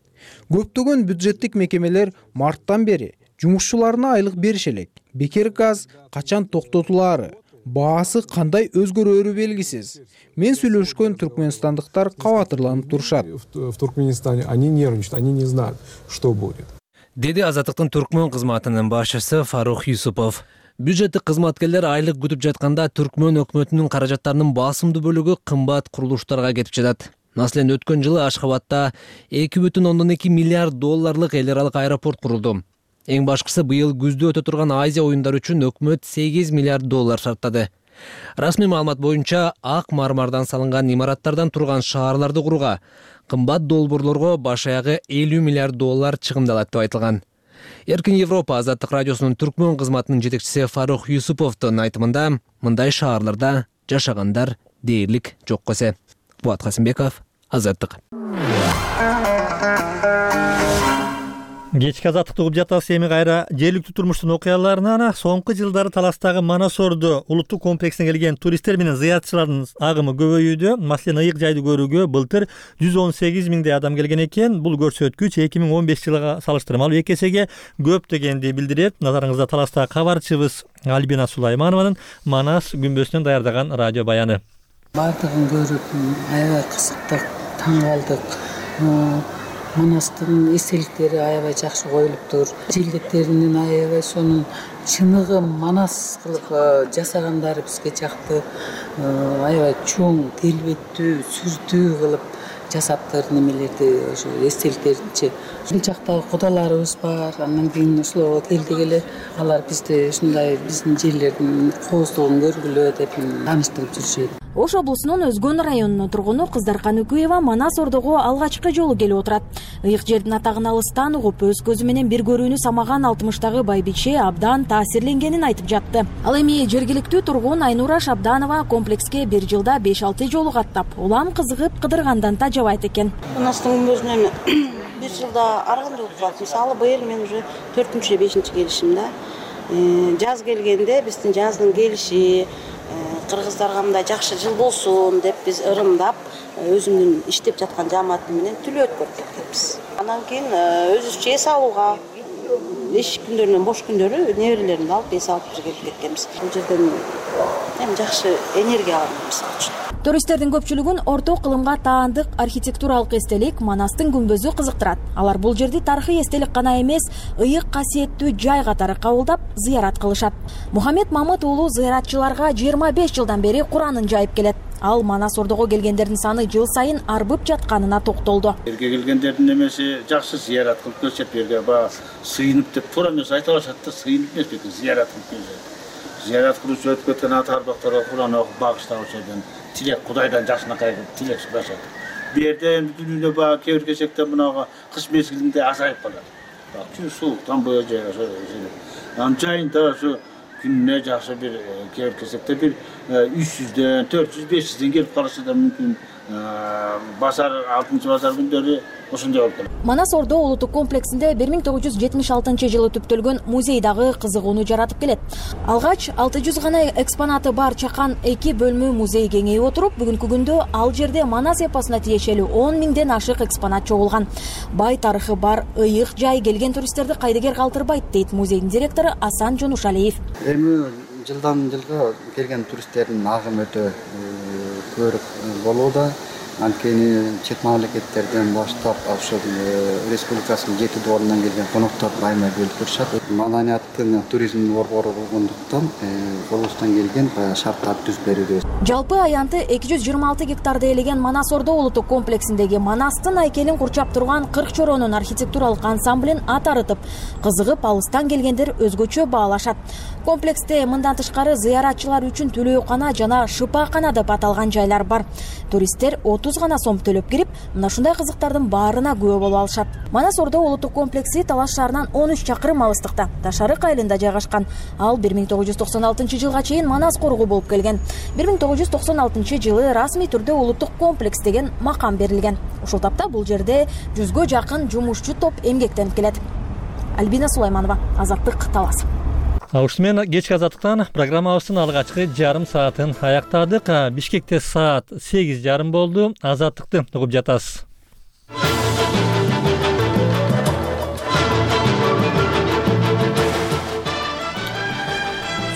G: Көптөгөн бюджеттик мекемелер марттан бери жумушчуларына айлык бериш элек. Бекер газ качан токтотулаары, баасы кандай өзгөрөөрү белгисиз. Мен сүйлөшкөн түркменстандыктар кабатырланып турушат.
T: В Туркменистане они нервничают, они не знают, что будет.
O: Деди Азаттыктын түркмөн кызматынын башчысы Фарух Юсупов. Бюджеттик кызматкерлер айлык күтүп жатканда түркмөн өкмөтүнүн каражаттарынын басымдуу бөлүгү кымбат курулуштарга кетип жатат. Маселен, өткөн жылы Ашхабадта эки бүтүн ондон эки миллиард долларлык эл аралык аэропорт курулду. Эң башкысы быйыл күздө өтө турган Азия оюндары үчүн өкмөт сегиз миллиард доллар шарттады. Расмий маалымат боюнча ак мармардан салынган имараттардан турган шаарларды курууга кымбат долбоорлорго баш аягы элүү миллиард доллар чыгымдалат деп айтылган. Эркин Европа Азаттык радиосунун түркмөн кызматынын жетекчиси Фарух Юсуповдун айтымында мындай шаарларда жашагандар дээрлик жок эсе. Буат Касымбеков, Азаттык.
A: Кечки азаттыкты угуп жатасыз. Эми кайра жергиликтүү турмуштун окуяларына. Соңку жылдары Таластагы Манас Ордо улуттук комплексине келген туристтер менен зыяратчылардын агымы көбөйүүдө. Маселен, ыйык жайды көрүүгө былтыр жүз он сегиз миңдей адам келген экен. Бул көрсөткүч эки миң он беш жылга салыштырмалуу эки эсеге көп дегенди билдирет. Назарыңызда Таластагы кабарчыбыз Альбина Сулайманованын Манас күмбөзүнөн даярдаган радио баяны.
U: Бардыгын көрүп, аябай кызыктык, таң калдык. Манастын эстеликтери аябай жакшы коюлуптур. Желдеттеринин аябай сонун чыныгы Манас кылып жасагандары бизге жакты. Аябай чоң, келбеттүү, сүрдүү кылып жасаптыр немелерди, ошо эстеликтеринчи. Бул жактагы кудаларыбыз бар. Андан кийин ошолорго келди эле алар бизди ушундай биздин жерлердин кооздугун көргүлө деп тааныштырып жүрүшөт.
L: Ош облусунун Өзгөн районунун тургуну Кыздаркан Үкүева Манас Ордого алгачкы жолу келип отурат. Ыйык жердин атагын алыстан угуп, өз көзү менен бир көрүүнү самаган алтымыштагы байбиче абдан таасирленгенин айтып жатты. Ал эми жергиликтүү тургун Айнура Шабданова комплекске бир жылда беш алты жолу каттап, улам кызыгып кыдыргандан тажабайт экен.
V: Манастын күмбөзүнөн бир жылда аргандуу болуп, мисалы быйыл мен уже төртүнчү бешинчи келишим да. Жаз келгенде биздин жаздын келиши кыргыздарга мындай жакшы жыл болсун деп биз ырымдап өзүмдүн иштеп жаткан жааматым менен түлөөт көрүп кеткенбиз. Андан кийин өзүбүзчө эс алууга эч күндөрүнөн бош күндөрү неберелеримди алып эс алып келип кеткенбиз. Бул жерден эми жакшы энергия алабыз.
L: Туристтердин көпчүлүгүн орто кылымга таандык архитектуралык эстелик Манастын күмбөзү кызыктырат. Алар бул жерди тарыхый эстелик гана эмес, ыйык касиеттүү жай катары кабылдап, зыярат кылышат. Мухаммед Мамыт уулу зыяратчыларга жыйырма беш жылдан бери Куранын жайып келет. Ал Манас Ордого келгендердин саны жыл сайын арбып жатканына токтолду.
W: Жерге келгендердин немеси жакшы зыярат кылып көрсөт, жерге ба сыйынып деп туура эмес айта алышат да, сыйынып эмес беки зыярат кылып көрсөт. Зыярат кылуучу өтүп кеткен ата арбактарга Куран окуп багыштап ошодон тилек Кудайдан жакшынакай тилек сурашат. Бу жерде эми дүйнөгө баа кээ бир кезекте мынага кыш мезгилинде азайып калат. Чүй сууктан бою жай ошо. Анын жайында ошо күнүнө жакшы бир кээ бир кезекте бир үч жүздөн төрт жүз беш жүздөн келип калышы да мүмкүн. Базар алтынчы базар күндөрү ошондой болуп калат.
L: Манас Ордо улуттук комплексинде бир миң тогуз жүз жетимиш алтынчы жылы түптөлгөн музей дагы кызыгууну жаратып келет. Алгач алты жүз гана экспонаты бар чакан эки бөлмө музей кеңейип отуруп, бүгүнкү күндө ал жерде Манас эпосуна тиешелүү он миңден ашык экспонат чогулган. Бай тарыхы бар ыйык жай келген туристтерди кайдыгер калтырбайт, дейт музейдин директору Асан Жонушалиев.
X: Эми жылдан жылга келген туристтердин агымы өтө көрүп болууда.
D: Анткени чет мамлекеттерден баштап ошол республикасынын жети дубарынан келген коноктор баймай бөлүп турушат. Маданияттын, туризмдин борбору болгондуктан колубуздан келген шарттарды түзүп беребиз.
L: Жалпы аянты эки жүз жыйырма алты гектарды ээлеген Манас Ордо улуттук комплексиндеги Манастын айкелин курчап турган кырк чоронун архитектуралык ансамблин атарытып, кызыгып алыстан келгендер өзгөчө баалашат. Комплексте мындан тышкары зыяратчылар үчүн төлөөкана жана шыпаакана деп аталган жайлар бар. Туристтер отуз гана сом төлөп кирип, мына ушундай кызыктардын баарына күбө боло алышат. Манас Ордо улуттук комплекси Талаш шаарынан он үч чакырым алыстыкта, Ташарык айылында жайгашкан. Ал бир миң тогуз жүз токсон алтынчы жылга чейин Манас коргу болуп келген. бир миң тогуз жүз токсон алтынчы жылы расмий түрдө улуттук комплекс деген макам берилген. Ушул тапта бул жерде жүзгө жакын жумушчу топ эмгектенип келет. Альбина Сулайманова, Азаттык, Талас.
A: Ушуну менен кечки азаттыктан программабыздын алгачкы жарым саатын аяктадык. Бишкекте саат сегиз жарым болду. Азаттыкты угуп жатасыз.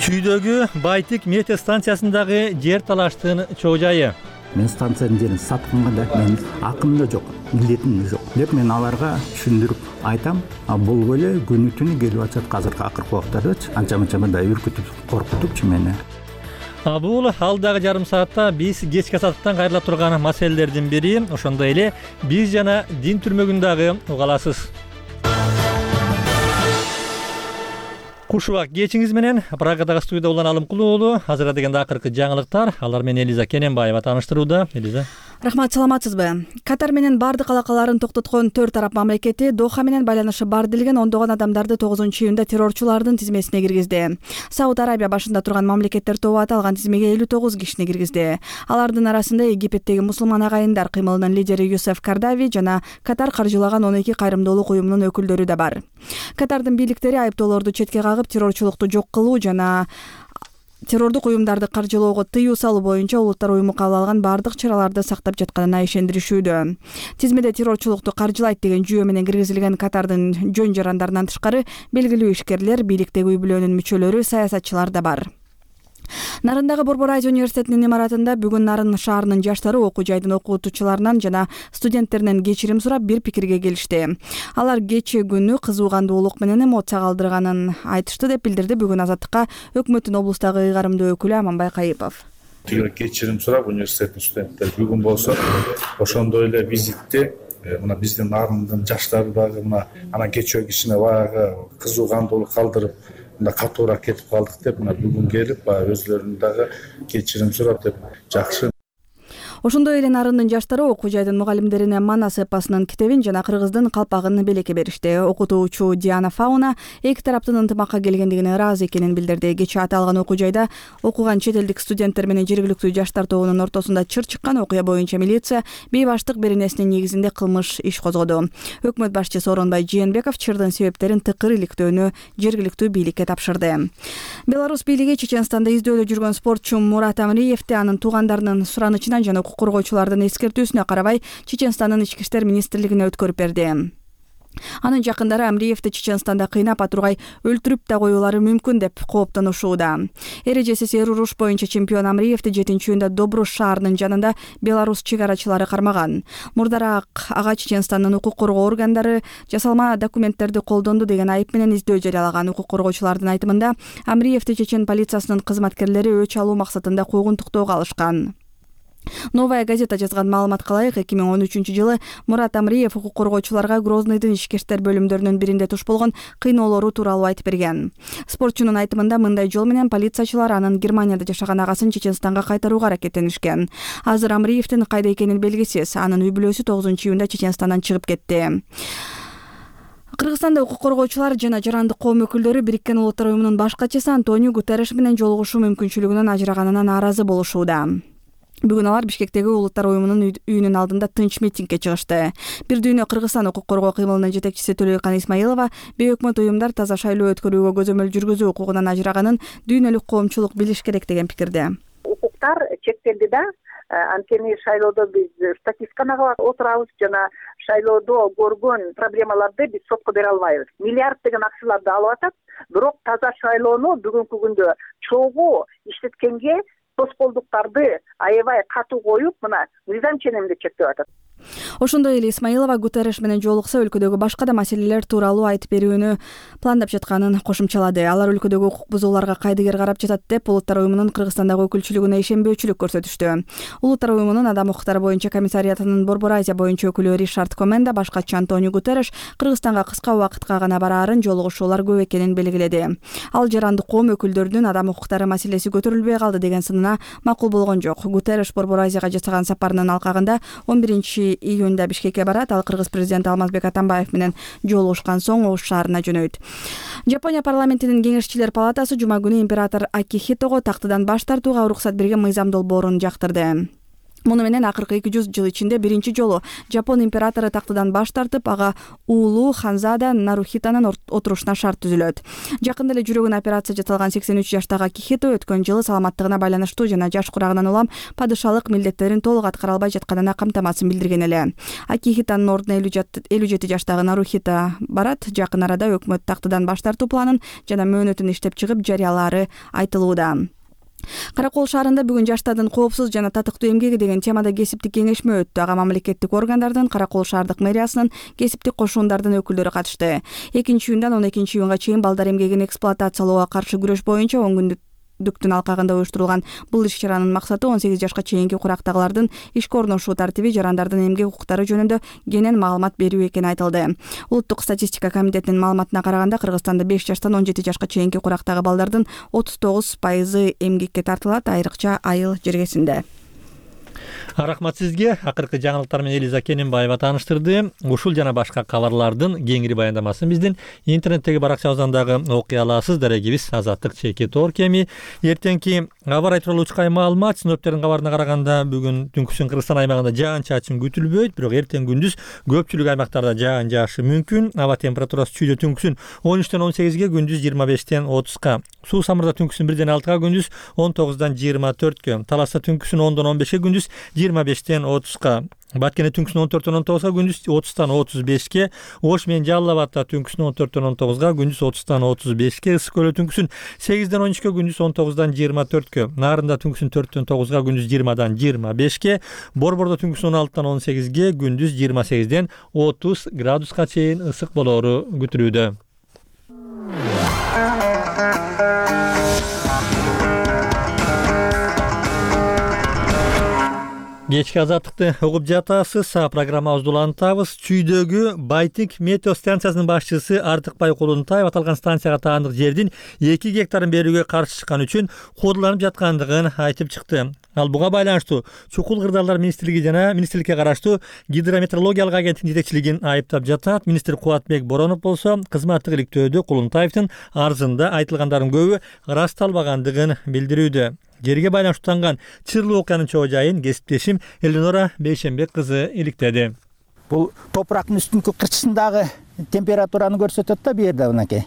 A: Чүйдөгү Байтик метеостанциясындагы жер талаштын чоо жайы.
E: Мен станциянын жерин сатканга да менин акым да жок, милдетим да жок деп мен аларга түшүндүрүп айтам. А бул эле күнү түнү келип атат азыркы акыркы убактардачы. Анча-мынча мындай үркүтүп, коркутупчу мени.
A: А бул алдагы жарым саатта биз кечки азаттыктан кайрыла турган маселелердин бири. Ошондой эле биз жана дин түрмөгүн дагы уга аласыз. Куш убак кечиңиз менен Прагадагы студияда Улан Алымкулуу уулу. Азыр дегенде акыркы жаңылыктар. Алар менен Элиза Кененбаева тааныштырууда. Элиза.
F: Рахмат, саламатсызбы? Катар менен бардык алакаларын токтоткон төрт араб мамлекети Доха менен байланышы бар делген ондогон адамдарды тогузунчу июнда террорчулардын тизмесине киргизди. Сауд Арабия башында турган мамлекеттер тобу аталган тизмеге элүү тогуз кишини киргизди. Алардын арасында Египеттеги мусулман агайындар кыймылынын лидери Юсеф Кардави жана Катар каржылаган он эки кайрымдуулук уюмунун өкүлдөрү да бар. Катардын бийликтери айыптоолорду четке кагып, террорчулукту жок кылуу жана террордук уюмдарды каржылоого тыюу салуу боюнча улуттар уюму кабыл алган бардык чараларды сактап жатканына ишендиришүүдө. Тизмеде террорчулукту каржылайт деген жүйө менен киргизилген Катардын жөн жарандарынан тышкары белгилүү ишкерлер, бийликтеги үй бүлөнүн мүчөлөрү, саясатчылар да бар. Нарындагы Борбор Азия университетинин имаратында бүгүн Нарын шаарынын жаштары окуу жайдын окутуучуларынан жана студенттеринен кечирим сурап бир пикирге келишти. Алар кечээ күнү кызуу кандуулук менен эмоция калтырганын айтышты деп билдирди бүгүн Азаттыкка өкмөттүн облустагы ыйгарымдуу өкүлү Аманбай Кайыпов.
H: Кечирим сурап университеттин студенттери бүгүн болсо ошондой эле визитте мына биздин Нарындын жаштары дагы мына анан кечээ кишине баягы кызуу кандуулук калтырып мына катуураак кетип калдык деп мына бүгүн келип баягы өзлөрүнүн дагы кечирим сурап деп жакшы.
F: Ошондой эле Нарындын жаштары окуу жайдын мугалимдерине Манас эпосунун китебин жана кыргыздын калпагын белекке беришти. Окутуучу Диана Фауна эки тараптын ынтымакка келгендигине ыраазы экенин билдирди. Кечээ аталган окуу жайда окуган чет элдик студенттер менен жергиликтүү жаштар тобунун ортосунда чыр чыккан окуя боюнча милиция бейбаштык беренесинин негизинде кылмыш иш козгоду. Өкмөт башчысы Сооронбай Жээнбеков чырдын себептерин тыкыр иликтөөнү жергиликтүү бийликке тапшырды. Беларусь бийлиги Чеченстанда издөөдө жүргөн спортчу Мурат Амриевди анын туугандарынын суранычынан жана укук коргоочулардын эскертүүсүнө карабай Чеченстандын ички иштер министрлигине өткөрүп берди. Анын жакындары Амриевди Чеченстанда кыйнап атургай өлтүрүп да коюулары мүмкүн деп кооптонушууда. Эрежеси сер уруш боюнча чемпион Амриевди жетинчи июнда Добруш шаарынын жанында Беларусь чегарачылары кармаган. Мурдараак ага Чеченстандын укук коргоо органдары жасалма документтерди колдонду деген айып менен издөө жарыялаган. Укук коргоочулардын айтымында Амриевди чечен полициясынын кызматкерлери өч алуу максатында куугун туктоого алышкан. Новая газета жазган маалыматка ылайык эки миң он үчүнчү жылы Мурат Амриев укук коргоочуларга Грознойдун ички иштер бөлүмдөрүнүн биринде туш болгон кыйноолору тууралуу айтып берген. Спортчунун айтымында мындай жол менен полициячылар анын Германияда жашаган агасын Чеченстанга кайтарууга аракеттенишкен. Азыр Амриевдин кайда экени белгисиз. Анын үй бүлөсү тогузунчу июнда Чеченстандан чыгып кетти. Кыргызстанда укук коргоочулар жана жарандык коом өкүлдөрү Бириккен Улуттар уюмунун баш катчысы Антонио Гутерреш менен жолугушуу мүмкүнчүлүгүнөн ажыраганына нааразы болушууда. Бүгүн алар Бишкектеги Улуттар уюмунун үйүнүн алдында тынч митингге чыгышты. Бир дүйнө Кыргызстан укук коргоо кыймылынын жетекчиси Төлөйкан Исмаилова бейөкмөт уюмдар таза шайлоо өткөрүүгө көзөмөл жүргүзүү укугунан ажыраганын дүйнөлүк коомчулук билиш керек деген пикирде.
X: Укуктар чектелди да, анткени шайлоодо биз статистикага отурабыз жана шайлоодо көргөн проблемаларды биз сотко бере албайбыз. Миллиарддеген акчаларды алып атат, бирок таза шайлоону бүгүнкү күндө чогуу иштеткенге тоскоолдуктарды аябай катуу коюп мына мыйзам ченемде чектеп атат.
F: Ошондой эле Исмаилова Гутерреш менен жолукса өлкөдөгү башка да маселелер тууралуу айтып берүүнү пландап жатканын кошумчалады. Алар өлкөдөгү укук бузууларга кайдыгер карап жатат деп Улуттар уюмунун Кыргызстандагы өкүлчүлүгүнө ишенбөөчүлүк көрсөтүштү. Улуттар уюмунун Адам укуктары боюнча комиссариатынын Борбор Азия боюнча өкүлү Ришард Коменда башкачы Антонио Гутерреш Кыргызстанга кыска убакытка гана бараарын, жолугушуулар көп экенин белгиледи. Ал жарандык коом өкүлдөрүнүн адам укуктары маселеси көтөрүлбөй калды деген сынына макул болгон жок. Гутерреш Борбор Азияга жасаган сапарынын алкагында он биринчи июнда Бишкекке барат. Ал Кыргыз президенти Алмазбек Атамбаев менен жолугушкан соң Ош шаарына жөнөйт. Жапония парламентинин кеңешчилер палатасы жума күнү император Акихитого тактыдан баш тартууга уруксат берген мыйзам долбоорун жактырды. Муну менен акыркы эки жүз жыл ичинде биринчи жолу Жапон императору тактыдан баш тартып, ага уулу Ханзада Нарухитанын отурушуна шарт түзүлөт. Жакында эле жүрөгүнө операция жасалган сексен үч жаштагы Акихито өткөн жылы саламаттыгына байланыштуу жана жаш курагынан улам падышалык милдеттерин толук аткара албай жатканына камтамасын билдирген эле. Акихитанын ордуна элүү жети жаштагы Нарухита барат. Жакын арада өкмөт тактыдан баш тартуу планын жана мөөнөтүн иштеп чыгып жарыялаары айтылууда. Каракол шаарында бүгүн жаштардын коопсуз жана татыктуу эмгеги деген темада кесиптик кеңешме өттү. Ага мамлекеттик органдардын, Каракол шаардык мэриясынын, кесиптик кошуундардын өкүлдөрү катышты. экинчи июндан он экинчи июнга чейин балдар эмгегин эксплуатациялоого каршы күрөш боюнча он күндүк дүктүн алкагында уюштурулган бул иш-чаранын максаты он сегиз жашка чейинки курактагылардын ишке орношуу тартиби, жарандардын эмгек укуктары жөнүндө кенен маалымат берүү экени айтылды. Улуттук статистика комитетинин маалыматына караганда Кыргызстанда беш жаштан он жети жашка чейинки курактагы балдардын отуз тогуз пайызы эмгекке тартылат, айрыкча айыл жергесинде.
A: Рахмат сизге. Акыркы жаңылыктар менен Элиза Кененбаева тааныштырды. Ушул жана башка кабарлардын кеңири баяндамасын биздин интернеттеги баракчабыздан дагы окуй аласыз. Дарегибиз Азаттык чеки тоор кеми. Эртеңки аба ырайы тууралуу учкай маалымат. Синоптиктердин кабарына караганда бүгүн түнкүсүн Кыргызстан аймагында жаан-чачын күтүлбөйт, бирок эртең күндүз көпчүлүк аймактарда жаан жаашы мүмкүн. Аба температурасы чүйдө түнкүсүн он үчтөн он сегизге, күндүз жыйырма бештен отузга. Суу самырда түнкүсүн бирден алтыга, күндүз он тогуздан жыйырма төрткө. Таласта түнкүсүн ондон он бешке, күндүз жыйырма бештен отузга. Баткене түнкүсүн он төрттөн он тогузга, күндүз отуздан отуз бешке. Ош менен Жалал Абадта түнкүсүн он төрттөн он тогузга, күндүз отуздан отуз бешке. Ысык көлдө түнкүсүн сегизден он үчкө, күндүз он тогуздан жыйырма төрткө. Нарында түнкүсүн төрттөн тогузга, күндүз жыйырмадан жыйырма бешке. Борбордо түнкүсүн он алтыдан он сегизге, күндүз жыйырма сегизден отуз градуска чейин ысык болоору күтүлүүдө. Кечки азаттыкты угуп жатасыз. Программабызды улантабыз. Чүйдөгү Байтик метео станциясынын башчысы Артыкбай Кулунтаев аталган станцияга таандык жердин эки гектарын берүүгө каршы чыккан үчүн куудуланып жаткандыгын айтып чыкты. Ал буга байланыштуу Чукул Кырдаалдар министрлиги жана министрликке караштуу гидрометеорологиялык агенттиктин жетекчилигин айыптап жатат. Министр Кубатбек Боронов болсо кызматтык иликтөөдө Кулунтаевдин арызында айтылгандардын көбү ырасталбагандыгын билдирүүдө. Жерге байланыштууланган чырлуу окуянын чоо жайын кесиптешим Элинора Бейшенбек кызы иликтеди.
E: Бул топурактын үстүнкү кырчысындагы температураны көрсөтөт да, бу жерде мынакей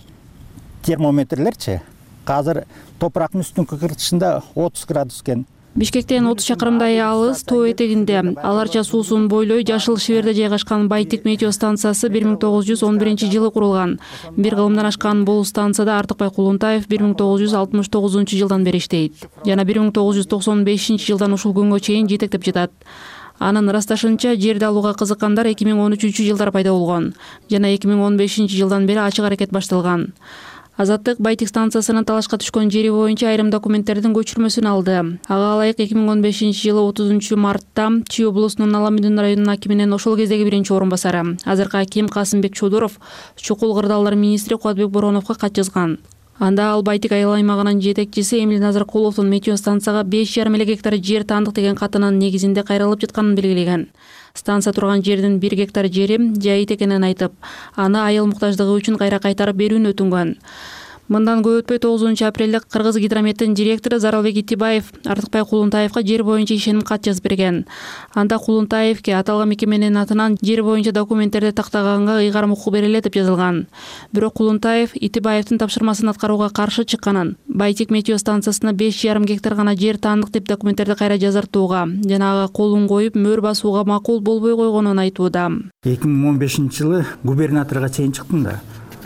E: термометрлерчи. Азыр топурактын үстүнкү кырчысында отуз градус экен.
B: Бишкектен отуз чакырымдай алыс тоо этегинде Аларча суусун бойлой Жашыл Шиверде жайгашкан Байтик метео станциясы бир миң тогуз жүз он биринчи жылы курулган. Бир кылымдан ашкан бул станцияда Артыкбай Кулунтаев бир миң тогуз жүз алтымыш тогузунчу жылдан бери иштейт. Жана бир миң тогуз жүз токсон бешинчи жылдан ушул күнгө чейин жетектеп жатат. Анын ырасташынча жерди алууга кызыккандар эки миң он үчүнчү жылдары пайда болгон жана эки миң он бешинчи жылдан бери ачык аракет башталган. Азаттык Байтик станциясынын талашка түшкөн жери боюнча айрым документтердин көчүрмөсүн алды. Ага ылайык эки миң он бешинчи жылы отузунчу мартта Чүй облусунун Аламүдүн районунун акиминин ошол кездеги биринчи орун басары, азыркы аким Касымбек Чодуров Чукул Кырдаалдар министри Кубатбек Бороновго кат жазган. Анда ал Байтик айыл аймагынын жетекчиси Эмил Назаркуловдун метео станцияга беш жарым эле гектар жер таандык деген катынын негизинде кайрылып жатканын белгилеген. Станция турган жердин бир гектар жери жайыт экенин айтып, аны айыл муктаждыгы үчүн кайра кайтарып берүүнү өтүнгөн. Мындан көп өтпөй тогузунчу апрелде Кыргыз гидрометтин директору Заралбек Итибаев Артыкбай Кулунтаевга жер боюнча ишеним кат жазып берген. Анда Кулунтаевке аталган мекеменин атынан жер боюнча документтерди тактаганга ыйгарым укук берилет деп жазылган. Бирок Кулунтаев Итибаевдин тапшырмасын аткарууга каршы чыкканын, Байтик метео станциясына беш жарым гектар гана жер таандык деп документтерди кайра жазартууга жана ага колун коюп мөр басууга макул болбой койгонун айтууда.
E: эки миң он бешинчи жылы губернаторго чейин чыктым да.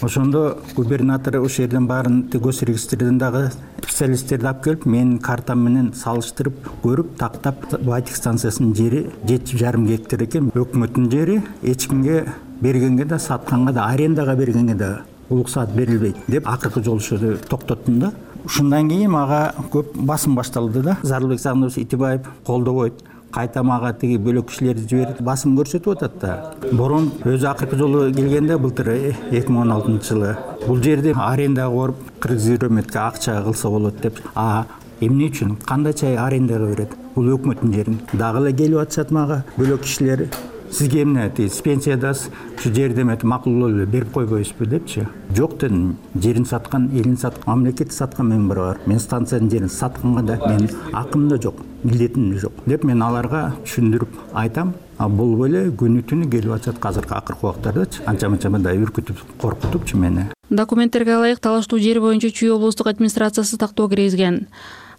E: Ошондо губернатор ошол жерден баарын госрегистрден дагы специалисттерди алып келип, менин картам менен салыштырып көрүп, тактап, Байтик станциясынын жери жети жарым гектар экен. Өкмөттүн жери эч кимге бергенге да, сатканга да, арендага бергенге да уруксаат берилбейт деп акыркы жолушууну токтоттум да. Ушундан кийин мага көп басым башталды да. Зарылбек Сагындоович Итибаев колдобойт. Кайта мага тиги бөлөк кишилерди жиберип басым көрсөтүп атат да. Борун өзү акыркы жолу келгенде былтыр эки миң он алтынчы жылы бул жерди арендага коруп кыргызгидрометке акча кылса болот деп. А эмне үчүн? Кандайча арендага берет? Бул өкмөттүн жерин. Дагы эле келип атышат мага бөлөк кишилер. Сизге эмне дейт? Пенсиядасыз, ушу жерди эметип макулдуу эле берип койбойсузбу депчи. Жок дедим. Жерин саткан, элин саткан, мамлекетти саткан мен бар. Мен станциянын жерин сатканга да менин акым да жок, милдетим да жок деп мен аларга түшүндүрүп айтам. А бул эле күнү түнү келип атат азыркы акыркы убактардачы. Анча-мынча мындай үркүтүп, коркутупчу мени.
B: Документтерге ылайык талаштуу жер боюнча Чүй облустук администрациясы тактоо киргизген.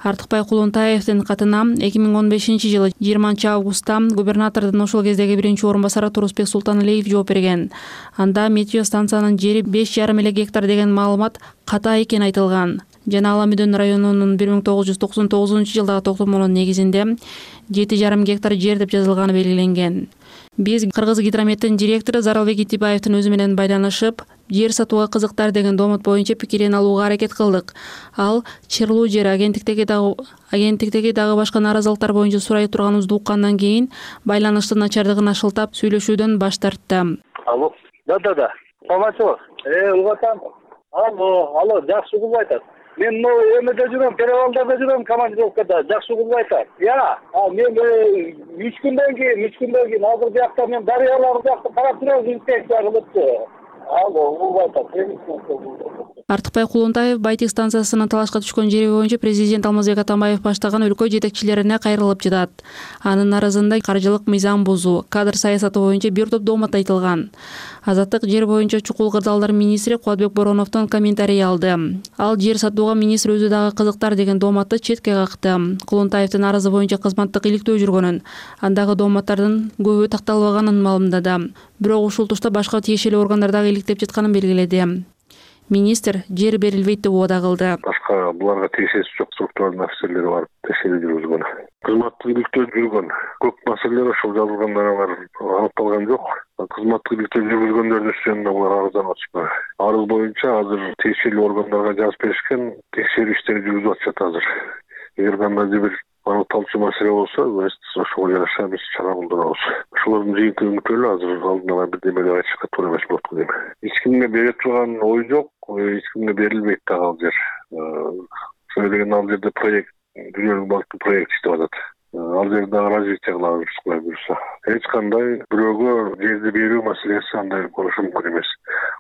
B: Артыкбай Кулунтаевдин катына эки миң он бешинчи жылы жыйырманчы августта губернатордун ошол кездеги биринчи орун басары Турусбек Султаналиев жооп берген. Анда метео станциянын жери беш жарым эле гектар деген маалымат ката экени айтылган. Жана Ала Мүдөн районунун бир миң тогуз жүз токсон тогузунчу жылдагы токтомунун негизинде жети жарым гектар жер деп жазылганы белгиленген. Биз Кыргыз гидрометтин директору Зарылбек Итибаевдин өзү менен байланышып, жер сатууга кызыктар деген домот боюнча пикирин алууга аракет кылдык. Ал чырлуу жер агенттиктеги дагы агенттиктеги дагы башка нааразылыктар боюнча сурай турганыбызды уккандан кийин байланыштын начардыгына шылтап сүйлөшүүдөн баш тартты.
C: Алло, да-да-да. Саламатчылык. Э, угатам. Алло, алло, жакшы угулуп айтат. Мен могу эмеде жүрөм, перевалдарда жүрөм, командировкада. Жакшы угулуп айтат. Я, а мен үч күндөн кийин, үч күндөн кийин азыр биякта мен дарыялар биякта карап жүрөм, инспекция кылыпты. Алло, угулуп айтат.
B: Артыкбай Кулунтаев Байтик станциясынын талашка түшкөн жери боюнча президент Алмазбек Атамбаев баштаган өлкө жетекчилерине кайрылып жатат. Анын арызында каржылык мыйзам бузуу, кадр саясаты боюнча бир топ домот айтылган. Азаттык жер боюнча чукул кырдаалдар министри Кубатбек Бороновдон комментарий алды. Ал жер сатууга министр өзү дагы кызыктар деген домотту четке какты. Кулунтаевдин арызы боюнча кызматтык иликтөө жүргөнүн, андагы домоттардын көбү такталбаганын маалымдады. Бирок ушул тушта башка тиешелүү органдар дагы иликтеп жатканын белгиледи. Министр жер берилбейт деп убада кылды.
I: Башка буларга тиешеси жок структуралдын офицерлери барып текшерүү жүргүзгөн. Кызматтык иликтөө жүргөн. Көп маселелер ошол жазылгандар алар аныкталган жок. Кызматтык иликтөө жүргүзгөндөрдүн үстүнөн булар арызданып атышпайбы? Арыз боюнча азыр тиешелүү органдарга жазып беришкен, текшерүү иштери жүргүзүп атышат азыр. Эгер кандайдыр бир аныкталчу маселе болсо, ошого жараша биз чара колдонобуз. Ошолордун жыйынтыгы күтөлү, азыр алдын ала бирдеме деп айтышка туура эмес болот дейм. Эч кимге бере турган ой жок, эч кимге берилбейт дагы ал жер. Ошол деген ал жерде проект, дүйнөлүк банктын проекти иштеп атат. Ал жерде дагы развитие кылабыз, кулай буюрса. Эч кандай бирөөгө жерди берүү маселеси андай болушу мүмкүн эмес.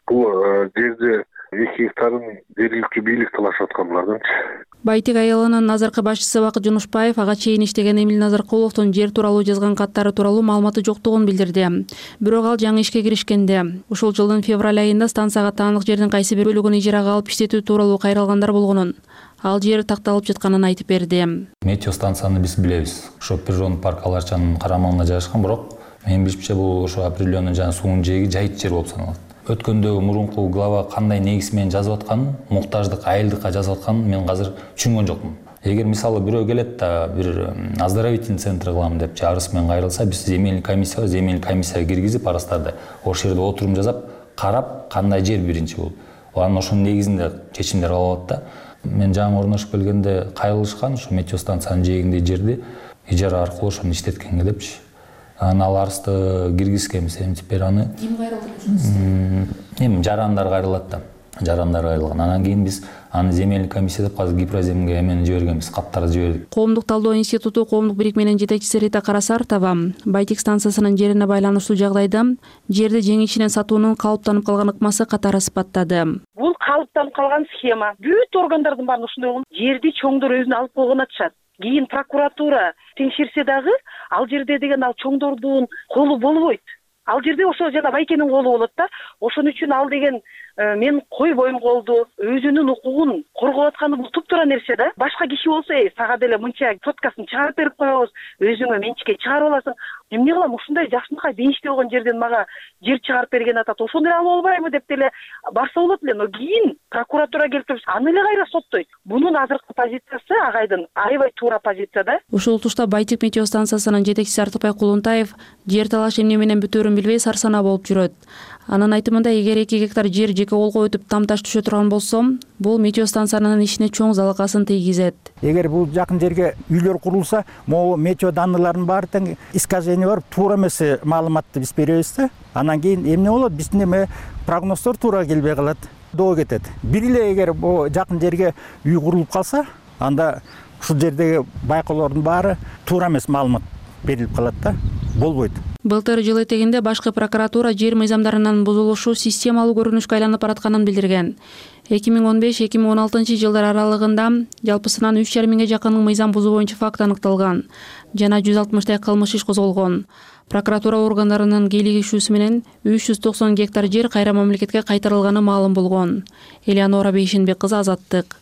I: Бул жерди эки гектарын жергиликтүү бийлик талашып аткан булардынчы.
B: Байтик айылынын азыркы башчысы Бакыт Жунушбаев ага чейин иштеген Эмил Назаркуловдун жер тууралуу жазган каттары тууралуу маалыматы жоктугун билдирди. Бирок ал жаңы ишке киришкенде, ушул жылдын февраль айында станцияга таандык жердин кайсы бир бөлүгүн ижарага алып иштетүү тууралуу кайрылгандар болгонун, ал жер такталып жатканын айтып берди.
K: Метео станцияны биз билебиз. Ошо природный парк Аларчанын карамагында жайгашкан, бирок менин билишимче бул ошо определенный жана суунун жээги жайыт жер болуп саналат. Өткөндөгү мурунку глава кандай негиз менен жазып атканын, муктаждык, айылдыкка жазып атканын мен азыр түшүнгөн жокмун. Эгер мисалы бирөө келет да бир оздоровительный центр кылам деп арыз менен кайрылса, биз земельный комиссия, земельный комиссияга киргизип арыздарды ошол жерде отурум жасап, карап кандай жер биринчи бул. Анан ошонун негизинде чечимдер алып да. Мен жаңы орношуп келгенде кайрылышкан ушу метео станциянын жээгиндеги жерди ижара аркылуу ошону иштеткенге депчи. Анан ал арызды киргизгенбиз, эмтип бери аны.
B: Ким кайрылды?
K: Эми жарандар кайрылат да. Жарандар кайрылган. Анан кийин биз аны земельный комиссия деп азыр Гипроземге эмени жибергенбиз, каттарды жибердик.
B: Коомдук талдоо институту коомдук бирикменин жетекчиси Рита Карасартова Байтик станциясынын жерине байланыштуу жагдайда жерди жеңишинен сатуунун калыптанып калган ыкмасы катары сыпаттады.
M: Бул калыптанып калган схема. Бүт органдардын баары ушундай болгон. Жерди чоңдор өзүнө алып койгон атышат. Кийин прокуратура теңшерсе дагы ал жерде деген ал чоңдордун колу болбойт. Ал жерде ошо жана байкенин колу болот да. Ошон үчүн ал деген мен койбойм голду, өзүнүн укугун коргоп атканы бул туптуура нерсе да. Башка киши болсо, эй, сага деле мынча соткасын чыгарып берип коебуз, өзүңө менчикке чыгарып аласың. Эмне кылам, ушундай жакшынакай бейиштүү болгон жерден мага жер чыгарып берген атат, ошону эле алып албаймы деп деле барса болот эле. Но кийин прокуратура келип туруп аны эле кайра соттойт. Бунун азыркы позициясы агайдын аябай туура позиция да.
B: Ушул тушта Байтек метео станциясынын жетекчиси Артыкбай Кулунтаев жер талаш эмне менен бүтөөрүн билбей сарсанаа болуп жүрөт. Анын айтымында, эгер эки гектар жер жеке колго өтүп там таш түшө турган болсо, бул метео станциянын ишине чоң залакасын тийгизет.
E: Эгер бул жакын жерге үйлөр курулса, могу метео данныйлардын баары тең искажение барып, туура эмес маалыматты биз беребиз да. Анан кийин эмне болот? Биздин эме прогноздор туура келбей калат, доо кетет. Бир эле эгер бул жакын жерге үй курулуп калса, анда ушул жердеги байкоолордун баары туура эмес маалымат берилип калат да. Болбойт.
B: Былтыр жыл этегинде башкы прокуратура жер мыйзамдарынын бузулушу системалуу көрүнүшкө айланып баратканын билдирген. эки миң он беш эки миң он алтынчы жылдар аралыгында жалпысынан үч жарым миңге жакын мыйзам бузуу боюнча факт аныкталган жана жүз алтымыштай кылмыш иш козголгон. Прокуратура органдарынын кийлигишүүсү менен үч жүз токсон гектар жер кайра мамлекетке кайтарылганы маалым болгон. Элеонора Бейшенбек кызы, Азаттык.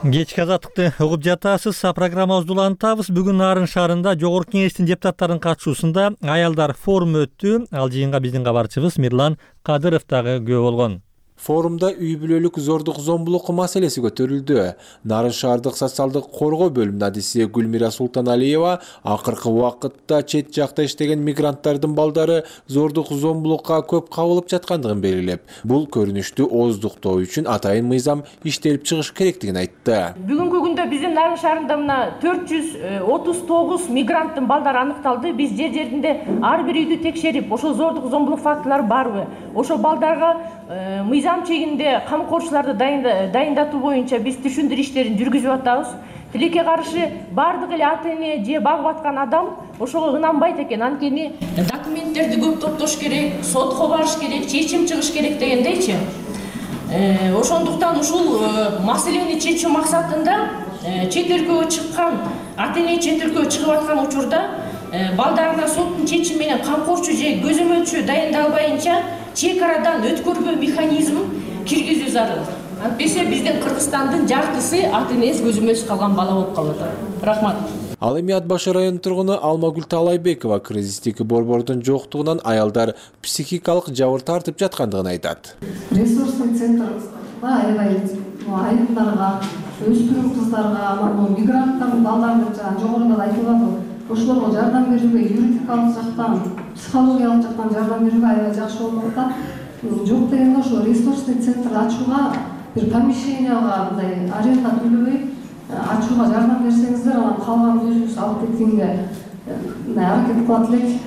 A: Кечки Азаттыкты угуп жатасыз. Программабызды улантабыз. Бүгүн Нарын шаарында Жогорку Кеңештин депутаттарынын катышуусунда аялдар форуму өттү. Ал жыйынга биздин кабарчыбыз Мирлан Кадыров дагы күбө болгон.
J: Форумда үй бүлөлүк зордук зомбулук маселеси көтөрүлдү. Нарын шаардык социалдык коргоо бөлүмүнүн адиси Гүлмира Султаналиева акыркы убакытта чет жакта иштеген мигранттардын балдары зордук зомбулукка көп кабылып жаткандыгын белгилеп, бул көрүнүштү ооздуктоо үчүн атайын мыйзам иштелип чыгыш керектигин айтты.
N: Бүгүнкү күндө биздин Нарын шаарында мына төрт жүз отуз тогуз мигранттын балдары аныкталды. Биз жер жеринде ар бир үйдү текшерип, ошол зордук зомбулук фактылары барбы, ошол балдарга мыйзам чегинде камкорчуларды дайындатуу боюнча биз түшүндүрүү иштерин жүргүзүп атабыз. Тилекке каршы бардык эле ата эне же багып аткан адам ошого ынанбайт экен. Анткени документтерди көп топтош керек, сотко барыш керек, чечим чыгыш керек дегендейчи. Ошондуктан ушул маселени чечүү максатында чет өлкөгө чыккан ата эне чет өлкөгө чыгып аткан учурда балдарына соттун чечими менен камкорчу же көзөмөлчү дайындалбайынча чек арадан өткөрбөө механизмин киргизүү зарыл. Антпесе биздин Кыргызстандын жартысы ата энеси көзөмөлсүз калган бала болуп калып атат. Рахмат.
J: Ал эми Ат башы районунун тургуну Алмагүл Талайбекова кризистик борбордун жоктугунан аялдар психикалык жабыр тартып жаткандыгын айтат.
P: Ресурстук центрга аябай айымдарга, өспүрүм кыздарга, анан мигранттардын балдарын жана жогоруда айтылып атат. Ошолорго жардам берүүгө юридикалык жактан, психологиялык жактан жардам берүүгө аябай жакшы болуп атат. Жок дегенде ошо ресурсный центр ачууга, бир помещенияга мындай аренда төлөбөй ачууга жардам берсеңиздер, анан калган өзүбүз алып кеткенге аракет кылат элек.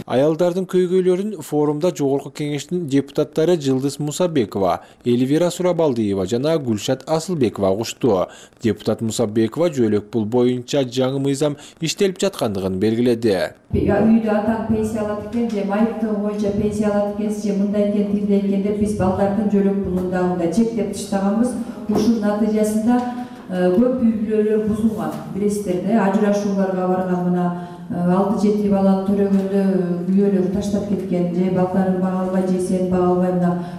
J: Аялдардын көйгөйлөрүн форумда Жогорку Кеңештин депутаттары Жылдыз Мусабекова, Эльвира Сурабалдиева жана Гүлшат Асылбекова угушту. Депутат Мусабекова жөлөк пул боюнча жаңы мыйзам иштелип жаткандыгын белгиледи.
Q: Үйдө атаң пенсия алат экен, же майыптыгы боюнча пенсия алат экен, же мындай экен, тилдей экен деп биз балдардын жөлөк пулун дагы чектеп таштаганбыз. Ушунун натыйжасында көп үй бүлөлөр бузулган. Билесиздер да, ажырашууларга барган мына алты жети баланы төрөгөндө күйөөлөр таштап кеткен, же балдарын бага албай, же сен бага албай,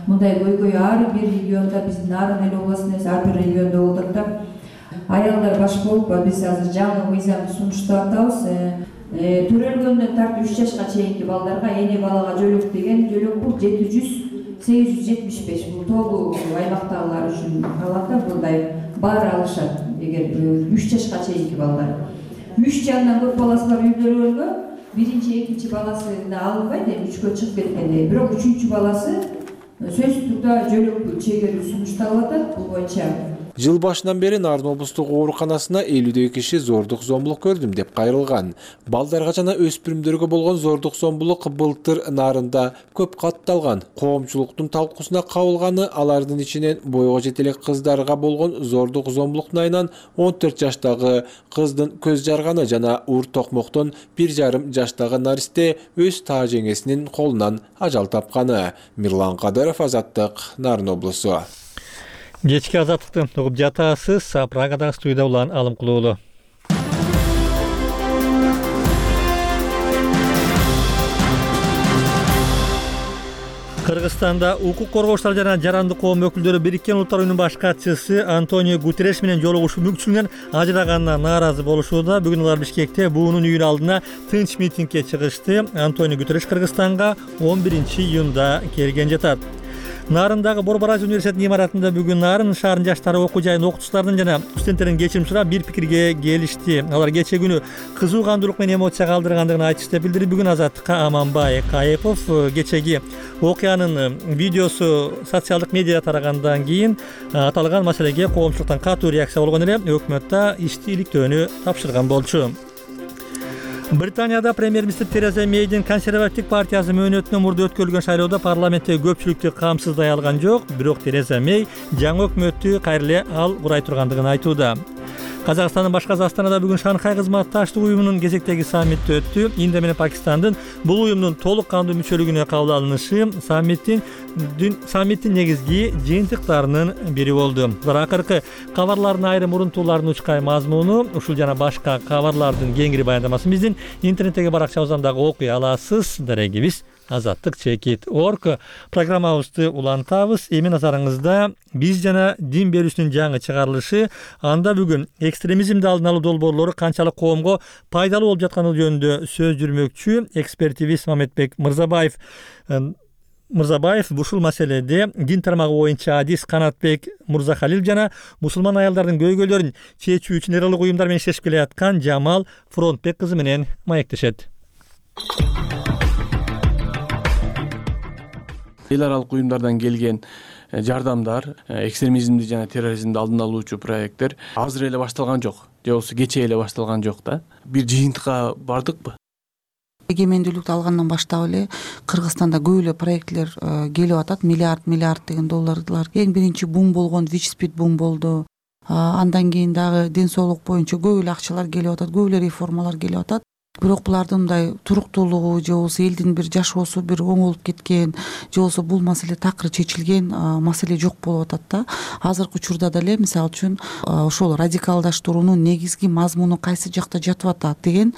Q: мындай көйгөй ар бир региондо, биздин Нарын эл областында ар бир региондо болот да. Аялдар баш болуп, биз азыр жаңы мыйзамды сунуштап атабыз. Төрөлгөндөн тартып үч жашка чейинки балдарга эне балага жөлөк деген жөлөк бул жети жүз сегиз жүз жетимиш беш. Бул тоолуу аймактагылар үчүн калат да, мындай баары алышат, эгер үч жашка чейинки балдар. Үч жандан көп баласы бар үй бүлөлөргө биринчи, экинчи баласына алынбайт, эми үчкө чыгып кеткенде, бирок үчүнчү баласы сөзсүз түрдө жөлөк чегерүү сунушталып атат. Бул боюнча
J: Жыл башынан бери Нарын облустук ооруканасына элүүдөй киши зордук зомбулук көрдүм деп кайрылган. Балдарга жана өспүрүмдөргө болгон зордук зомбулук былтыр Нарында көп катталган. Коомчулуктун талкуусуна кабылганы алардын ичинен бойго жете элек кыздарга болгон зордук зомбулуктун айынан он төрт жаштагы кыздын көз жарганы жана ур токмоктон бир жарым жаштагы наристе өз таа жеңесинин колунан ажал тапканы. Мирлан Кадыров, Азаттык, Нарын облусу.
A: Кечки Азаттыкты угуп жатасыз. Прагадагы студияда улан Алым Кулуулу. Кыргызстанда укук коргоочулар жана жарандык коом өкүлдөрү Бириккен Улуттар Уюмунун баш катчысы Антонио Гутерреш менен жолугушуу мүмкүнчүлүгүнөн ажыраганына нааразы болушууда. Бүгүн алар Бишкекте буунун үйүнүн алдына тынч митингге чыгышты. Антонио Гутерреш Кыргызстанга он биринчи июнда келген жатат. Нарындагы Борбораж университетинин имаратында бүгүн Нарын шаарынын жаштары окуу жайынын окутуучуларынан жана студенттерден кечирим сурап бир пикирге келишти. Алар кече күнү кызуу кандуулук менен эмоция калтыргандыгын айтышты деп билдирди. Бүгүн Азаттыкка Аманбай Кайыпов кечеги окуянын видеосу социалдык медиада тарагандан кийин аталган маселеге коомчулуктан катуу реакция болгон эле өкмөт да ишти иликтөөнү тапшырган болчу. Британияда премьер-министр Тереза Мейдин консервативдик партиясы мөөнөтүнөн мурда өткөрүлгөн шайлоодо парламентте көпчүлүктү камсыздай алган жок, бирок Тереза Мей жаңы өкмөттү кайра эле ал курай тургандыгын айтууда. Казакстандын башкасы Астанада бүгүн Шанхай кызматташтык уюмунун кезектеги саммити өттү. Индия менен Пакистандын бул уюмдун толук кандуу мүчөлүгүнө кабыл алынышы саммиттин саммиттин негизги жыйынтыктарынын бири болду. Бирок акыркы кабарлардын айрым урунтуулардын учкай мазмуну ушул жана башка кабарлардын кеңири баяндамасын биздин интернеттеги баракчабыздан дагы окуй аласыз. Дарегибиз азаттык чекит точка орг программабызды улантабыз. Эми назарыңызда биз жана дин берүүсүнүн жаңы чыгарылышы. Анда бүгүн экстремизмди алдын алуу долбоорлору канчалык коомго пайдалуу болуп жатканы жөнүндө сөз жүрмөкчү экспертибиз Мамедбек Мырзабаев Мырзабаев ушул маселеде дин тармагы боюнча адис Канатбек Мурзахалил жана мусулман аялдардын көйгөйлөрүн чечүү үчүн эр улуг уюмдар менен иштешип келе жаткан Жамал Фронтбек кызы менен маектешет.
G: Эл аралык уюмдардан келген жардамдар, экстремизмди жана терроризмди алдын алуучу проекттер азыр эле башталган жок, же болбосо кечээ эле башталган жок да. Бир жыйынтыкка бардыкпы?
R: Эгемендүүлүктү алгандан баштап эле Кыргызстанда көп эле проектлер келип атат, миллиард миллиард деген долларлар. Эң биринчи бум болгон ВИЧ-СПИД бум болду. Андан кийин дагы ден соолук боюнча көп эле акчалар келип атат, көп эле реформалар келип атат. Бирок булардын мындай туруктуулугу же болбосо элдин бир жашоосу бир оңолуп кеткен, же болбосо бул маселе такыр чечилген маселе жок болуп атат да. Азыркы учурда деле мисалы үчүн ошол радикалдаштыруунун негизги мазмуну кайсы жакта жатып атат деген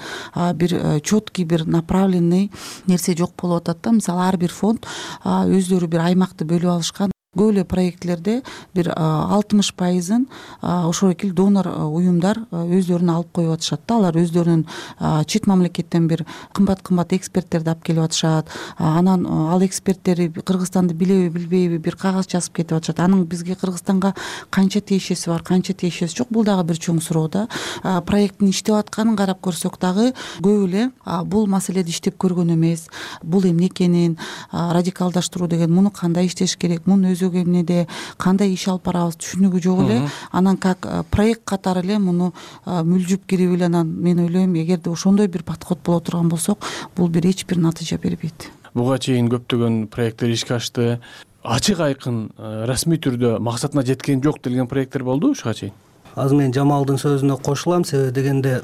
R: бир четкий бир направленный нерсе жок болуп атат да. Мисалы ар бир фонд өздөрү бир аймакты бөлүп алышкан. Көп эле проектлерде бир алтымыш пайызын ошол экил донор уюмдар өздөрүнө алып коюп атышат да. Алар өздөрүнүн чет мамлекеттен бир кымбат-кымбат эксперттерди алып келип атышат. Анан ал эксперттери Кыргызстанды билеби, билбейби бир кагаз жазып кетип атышат. Анын бизге Кыргызстанга канча тиешеси бар, канча тиешеси жок, бул дагы бир чоң суроо да. Проекттин иштеп атканын карап көрсөк дагы көп эле бул маселеде иштеп көргөн эмес. Бул эмне экенин, радикалдаштыруу деген муну кандай иштеш керек, мунун өзү эмнеде, кандай иш алып барабыз түшүнүгү жок эле. Анан как проект катары эле муну мүлжүп кирип эле анан мен ойлойм, эгерде ошондой бир подход боло турган болсок, бул бир эч бир натыйжа бербейт.
G: Буга чейин көптөгөн проекттер ишке ашты. Ачык айкын расмий түрдө максатына жеткен жок делген проекттер болду ушуга чейин.
S: Азыр мен Жамалдын сөзүнө кошулам, себеби дегенде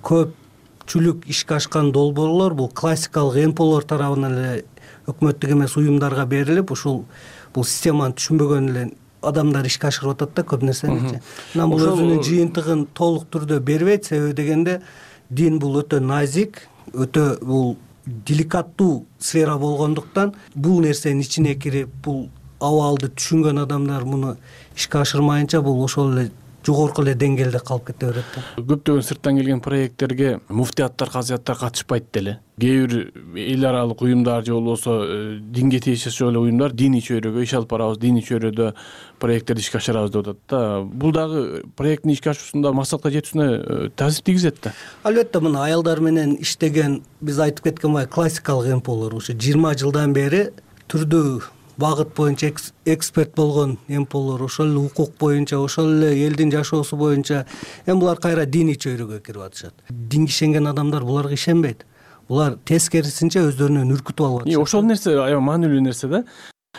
S: көпчүлүк ишке ашкан долбоорлор бул классикалык эмполор тарабынан эле өкмөттүк эмес уюмдарга берилип, ушул бул системаны түшүнбөгөн эле адамдар ишке ашырып атат да көп нерсени. Анан бул өзүнүн жыйынтыгын толук түрдө бербейт, себеби дегенде дин бул өтө назик, өтө бул деликаттуу сфера болгондуктан бул нерсенин ичине кирип, бул абалды түшүнгөн адамдар муну ишке ашырмайынча бул ошол эле жогорку эле деңгээлде калып кете берет да.
G: Көптөгөн сырттан келген проекттерге муфтияттар, казыяттар катышпайт деле. Кээ бир эл аралык уюмдар же болбосо динге тиешеси эле уюмдар диний чөйрөгө иш алып барабыз, диний чөйрөдө проекттерди ишке ашырабыз деп атат да. Бул дагы проекттин ишке ашуусунда максатка жетүүсүнө таасир тийгизет да.
S: Албетте мына аялдар менен иштеген, биз айтып кеткен бай классикалык эмполор ушу жыйырма жылдан бери түрдүү багыт боюнча эксперт болгон эмполор, ошол эле укук боюнча, ошол эле элдин жашоосу боюнча эми булар кайра диний чөйрөгө кирип атышат. Динге ишенген адамдар буларга ишенбейт. Булар тескерисинче өздөрүнөн үркүтүп алып атышат.
G: Ошол нерсе аябай маанилүү нерсе да.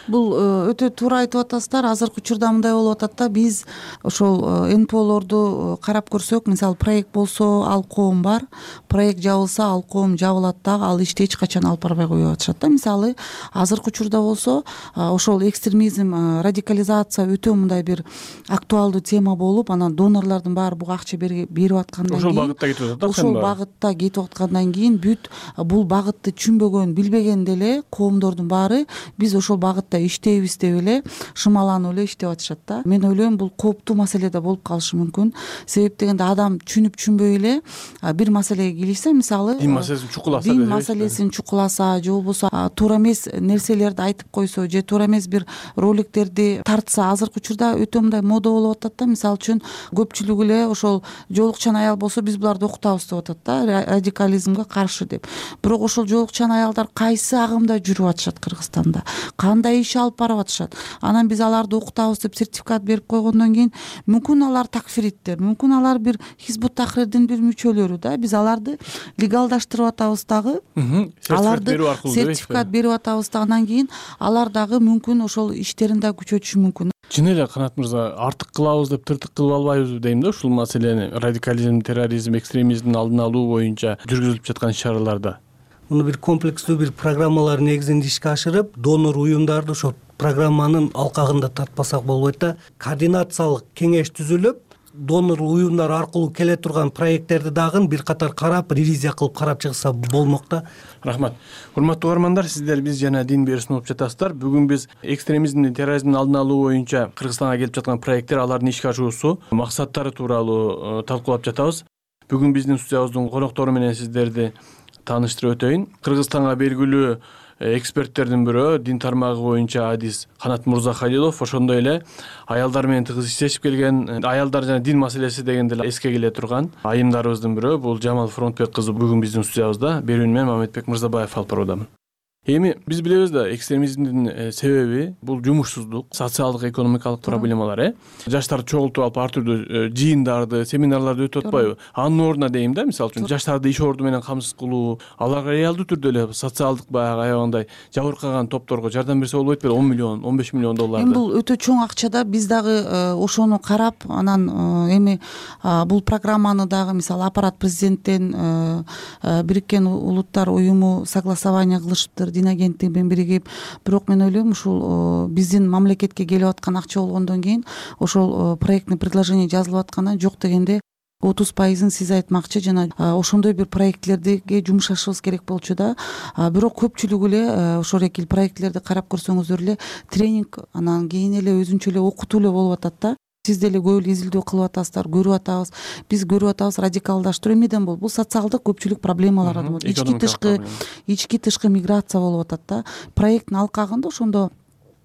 R: бул өтө туура айтып атасыздар. Азыркы учурда мындай болуп атат да, биз ошол эн пэ олорду карап көрсөк, мисалы проект болсо ал коом бар, проект жабылса ал коом жабылат дагы, ал ишти эч качан алып барбай коюп атышат да. Мисалы азыркы учурда болсо ошол экстремизм, радикализация өтө мындай бир актуалдуу тема болуп, анан донорлордун баары буга акча берип аткандан кийин,
G: ошол багытта кетип атат да,
R: ошол багытта кетип аткандан кийин бүт бул багытты түшүнбөгөн, билбеген деле коомдордун баары биз ошол багытта иштейбиз деп эле шымаланып эле иштеп атышат да. Мен ойлойм, бул кооптуу маселе да болуп калышы мүмкүн. Себеп дегенде адам түшүнүп түшүнбөй эле бир маселеге киришсе, мисалы
G: дин маселесин чукуласа,
R: дин маселесин чукуласа, же болбосо туура эмес нерселерди айтып койсо, же туура эмес бир роликтерди тартса, азыркы учурда өтө мындай мода болуп атат да. Мисалы үчүн көпчүлүгү эле ошол жоолукчан аял болсо биз буларды окутабыз деп атат да, радикализмге каршы деп. Бирок ошол жоолукчан аялдар кайсы агымда жүрүп атышат Кыргызстанда, кандай иш алып барып атышат. Анан биз аларды окутабыз деп сертификат берип койгондон кийин мүмкүн алар такфириттер, мүмкүн алар бир Хизбут Тахрирдин бир мүчөлөрү да, биз аларды легалдаштырып атабыз дагы, аларды сертификат берип атабыз да, анан кийин алар дагы мүмкүн ошол иштерин да күчөтүшү мүмкүн.
G: Чын эле Канат мырза, артык кылабыз деп тыртык кылып албайбызбы дейм да, ушул маселени радикализм, терроризм, экстремизмдин алдын алуу боюнча жүргүзүлүп жаткан иш-чараларда.
S: Муну бир комплекстүү бир программалар негизинде ишке ашырып, донор уюмдарды ошол программанын алкагында тартпасак болбойт да. Координациялык кеңеш түзүлүп, донор уюмдар аркылуу келе турган проекттерди дагы бир катар карап, ревизия кылып карап чыгса болмок да.
G: Рахмат. Урматтуу угармандар, сиздер биз жана дин берүүсүн угуп жатасыздар. Бүгүн биз экстремизмдин, терроризмдин алдын алуу боюнча Кыргызстанга келип жаткан проекттер, алардын ишке ашуусу, максаттары тууралуу талкуулап жатабыз. Бүгүн биздин студиябыздын коноктору менен сиздерди тааныштырып өтөйүн. Кыргызстанга белгилүү эксперттердин бирөө, дин тармагы боюнча адис Канат Мырзахалилов, ошондой эле аялдар менен тыгыз иштешип келген, аялдар жана дин маселеси дегенде эске келе турган айымдарыбыздын бирөө, бул Жамал Фронтбек кызы бүгүн биздин студиябызда. Берүүнү мен Мамедбек Мырзабаев алып баруудамын. Эми биз билебиз да, экстремизмдин себеби бул жумушсуздук, социалдык, экономикалык проблемалар, э. Жаштарды чогултуп алып ар түрдүү жыйындарды, семинарларды өтүп атпайбы? Анын ордуна дейм да, мисалы үчүн жаштарды иш орду менен камсыз кылуу, аларга реалдуу түрдө эле социалдык баягы аябагандай жабыркаган топторго жардам берсе болбойт беле? он миллион, он беш миллион долларды.
R: Эми бул өтө чоң акча да, биз дагы ошону карап, анан эми бул программаны дагы мисалы аппарат президенттен Бириккен Улуттар уюму согласование кылышыптыр, дин агенттиги менен биригип. Бирок мен ойлойм, ушул биздин мамлекетке келип аткан акча болгондон кийин ошол проектный предложение жазылып аткандан жок дегенде отуз пайызын сиз айтмакчы, жана ошондой бир проектлерге жумшашыбыз керек болчу да. Бирок көпчүлүгү эле ошол экил проектлерди карап көрсөңүздөр эле тренинг, анан кийин эле өзүнчө эле окутуу эле болуп атат да. Сиз деле көп эле изилдөө кылып атасыздар, көрүп атабыз. Биз көрүп атабыз, радикалдаштыруу эмнеден болот? Бул социалдык көпчүлүк проблемалар болот. Ички тышкы, ички тышкы миграция болуп атат да. Проекттин алкагында ошондо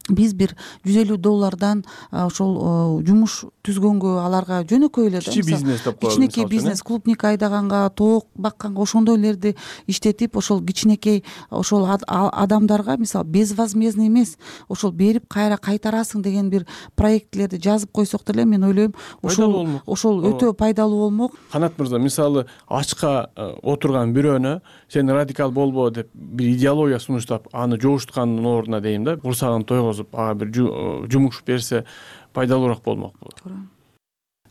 R: биз бир жүз элүү доллардан ошол жумуш түзгөнгө, аларга жөнөкөй эле да,
G: кичи бизнес деп коебуз,
R: кичинекей бизнес, клубник айдаганга, тоок бакканга, ошондойлорду иштетип, ошол кичинекей ошол адамдарга мисалы безвозмездный эмес, ошол берип кайра кайтарасың деген бир проектлерди жазып койсок деле, мен ойлойм, ошол ошол өтө пайдалуу болмок.
G: Канат мырза, мисалы ачка отурган бирөөнө сен радикал болбо деп бир идеология сунуштап, аны жобуштукандын ордуна дейм да, курсагын тойгозуп, ага бир жумуш берсе пайдалуураак болмокпу.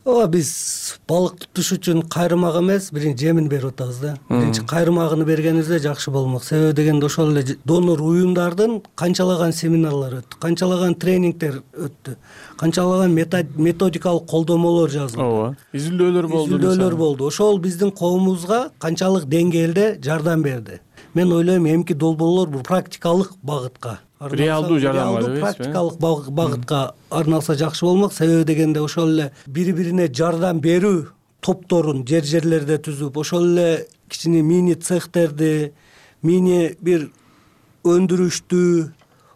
S: Ооба, биз балык тутуш үчүн кайрымак эмес, биринчи жемин берип атабыз да. Биринчи кайрымагын бергенибизде жакшы болмок. Себеби дегенде ошол эле донор уюмдардын канчалаган семинарлар өттү, канчалаган тренингдер өттү, канчалаган методикалык колдомолор жазылды.
G: Ооба, изилдөөлөр болду.
S: Изилдөөлөр болду. Ошол биздин коомубузга канчалык деңгээлде жардам берди. Мен ойлойм, эмки долбоорлор бул практикалык багытка,
G: реалдуу жардамга,
S: практикалык багытка арналса жакшы болмок. Себеби дегенде ошол эле бири-бирине жардам берүү топторун жер жерлерде түзүп, ошол эле кичине мини цехтерди, мини бир өндүрүштү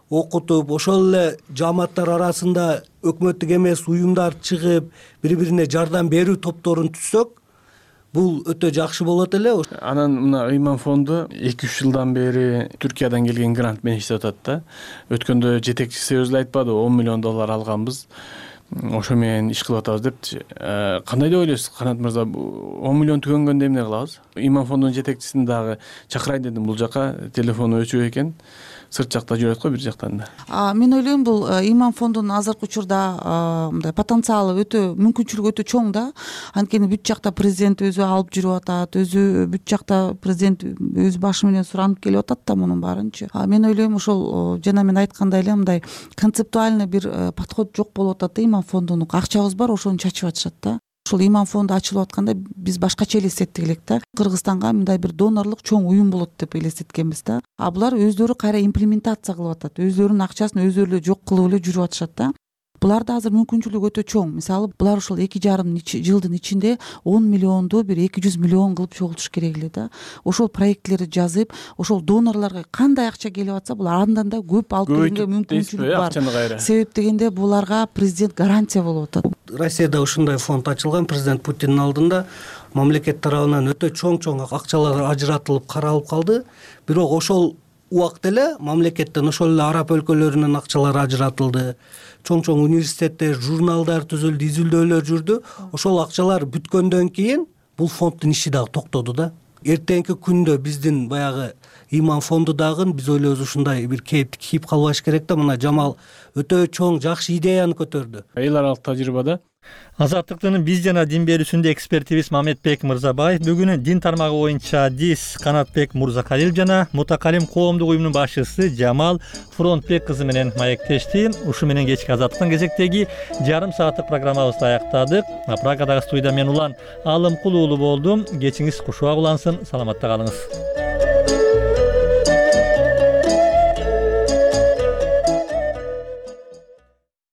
S: окутуп, ошол эле жааматтар арасында өкмөттүк эмес уюмдар чыгып, бири-бирине жардам берүү топторун түзсөк, бул өтө жакшы болот эле.
G: Анан мына Ыйман фонду эки үч жылдан бери Түркиядан келген грант менен иштеп атат да. Өткөндө жетекчиси өзү айтпады, он миллион доллар алганбыз, ошо менен иш кылып атабыз депчи. Кандай деп ойлойсуз, Канат мырза? он миллион түгөнгөндө эмне кылабыз? Ыйман фондунун жетекчисин дагы чакырайын дедим бул жака, телефону өчүк экен. сырт жакта жүрөт го бир жактан да.
R: Мен ойлойм бул Иман фондунун азыркы учурда мындай потенциалы өтө, мүмкүнчүлүгү өтө чоң да. Анткени бүт жакта президент өзү алып жүрүп атат, өзү бүт жакта президент өз башы менен суранып келип атат да мунун баарынчы. Мен ойлойм ошол жана мен айткандай эле мындай концептуальный бир подход жок болуп атат да. Иман фондунун акчабыз бар, ошону чачып атышат да. Ошол Иман фонду ачылып атканда биз башкача элестеттик элек да. Кыргызстанга мындай бир донорлук чоң уюм болот деп элестеткенбиз да. А булар өздөрү кайра имплементация кылып атат. Өздөрүнүн акчасын өздөрү эле жок кылып эле жүрүп атышат да. Буларда азыр мүмкүнчүлүгү өтө чоң. Мисалы, булар ошол эки жарым жылдын ичинде он миллионду бир эки жүз миллион кылып чогултуш керек эле да. Ошол проектлерди жазып, ошол донорлорго кандай акча келип атса, булар андан да көп алып келүүгө мүмкүнчүлүк бар. Себеп дегенде буларга президент гарантия болуп атат.
S: Россияда ушундай фонд ачылган, президент Путиндин алдында мамлекет тарабынан өтө чоң-чоң акчалар ажыратылып каралып калды. Бирок ошол убакта эле мамлекеттен ошол эле араб өлкөлөрүнүн акчалары ажыратылды. Чоң-чоң университеттер, журналдар түзүлдү, изилдөөлөр жүрдү. Ошол акчалар бүткөндөн кийин бул фонддун иши дагы токтоду да. Эртеңки күндө биздин баягы Иман фонду дагы биз ойлойбуз ушундай бир кейиптик кийип калбаш керек да. Мына Жамал өтө чоң, жакшы идеяны көтөрдү.
G: Эл аралык тажрыйбада
A: Азаттыктын биз жана дин берүүсүндө экспертибиз Мамедбек Мырзабаев, бүгүн дин тармагы боюнча Дис Канатбек Мурзакалил жана Мутакалим коомдук уюмунун башчысы Жамал Фронтбек кызы менен маектешти. Ушу менен кечки Азаттыктын кезектеги жарым сааттык программабызды аяктадык. Прагадагы студияда мен Улан Алымкул уулу болдум. Кечиңиз кушубак улансын, саламатта калыңыз.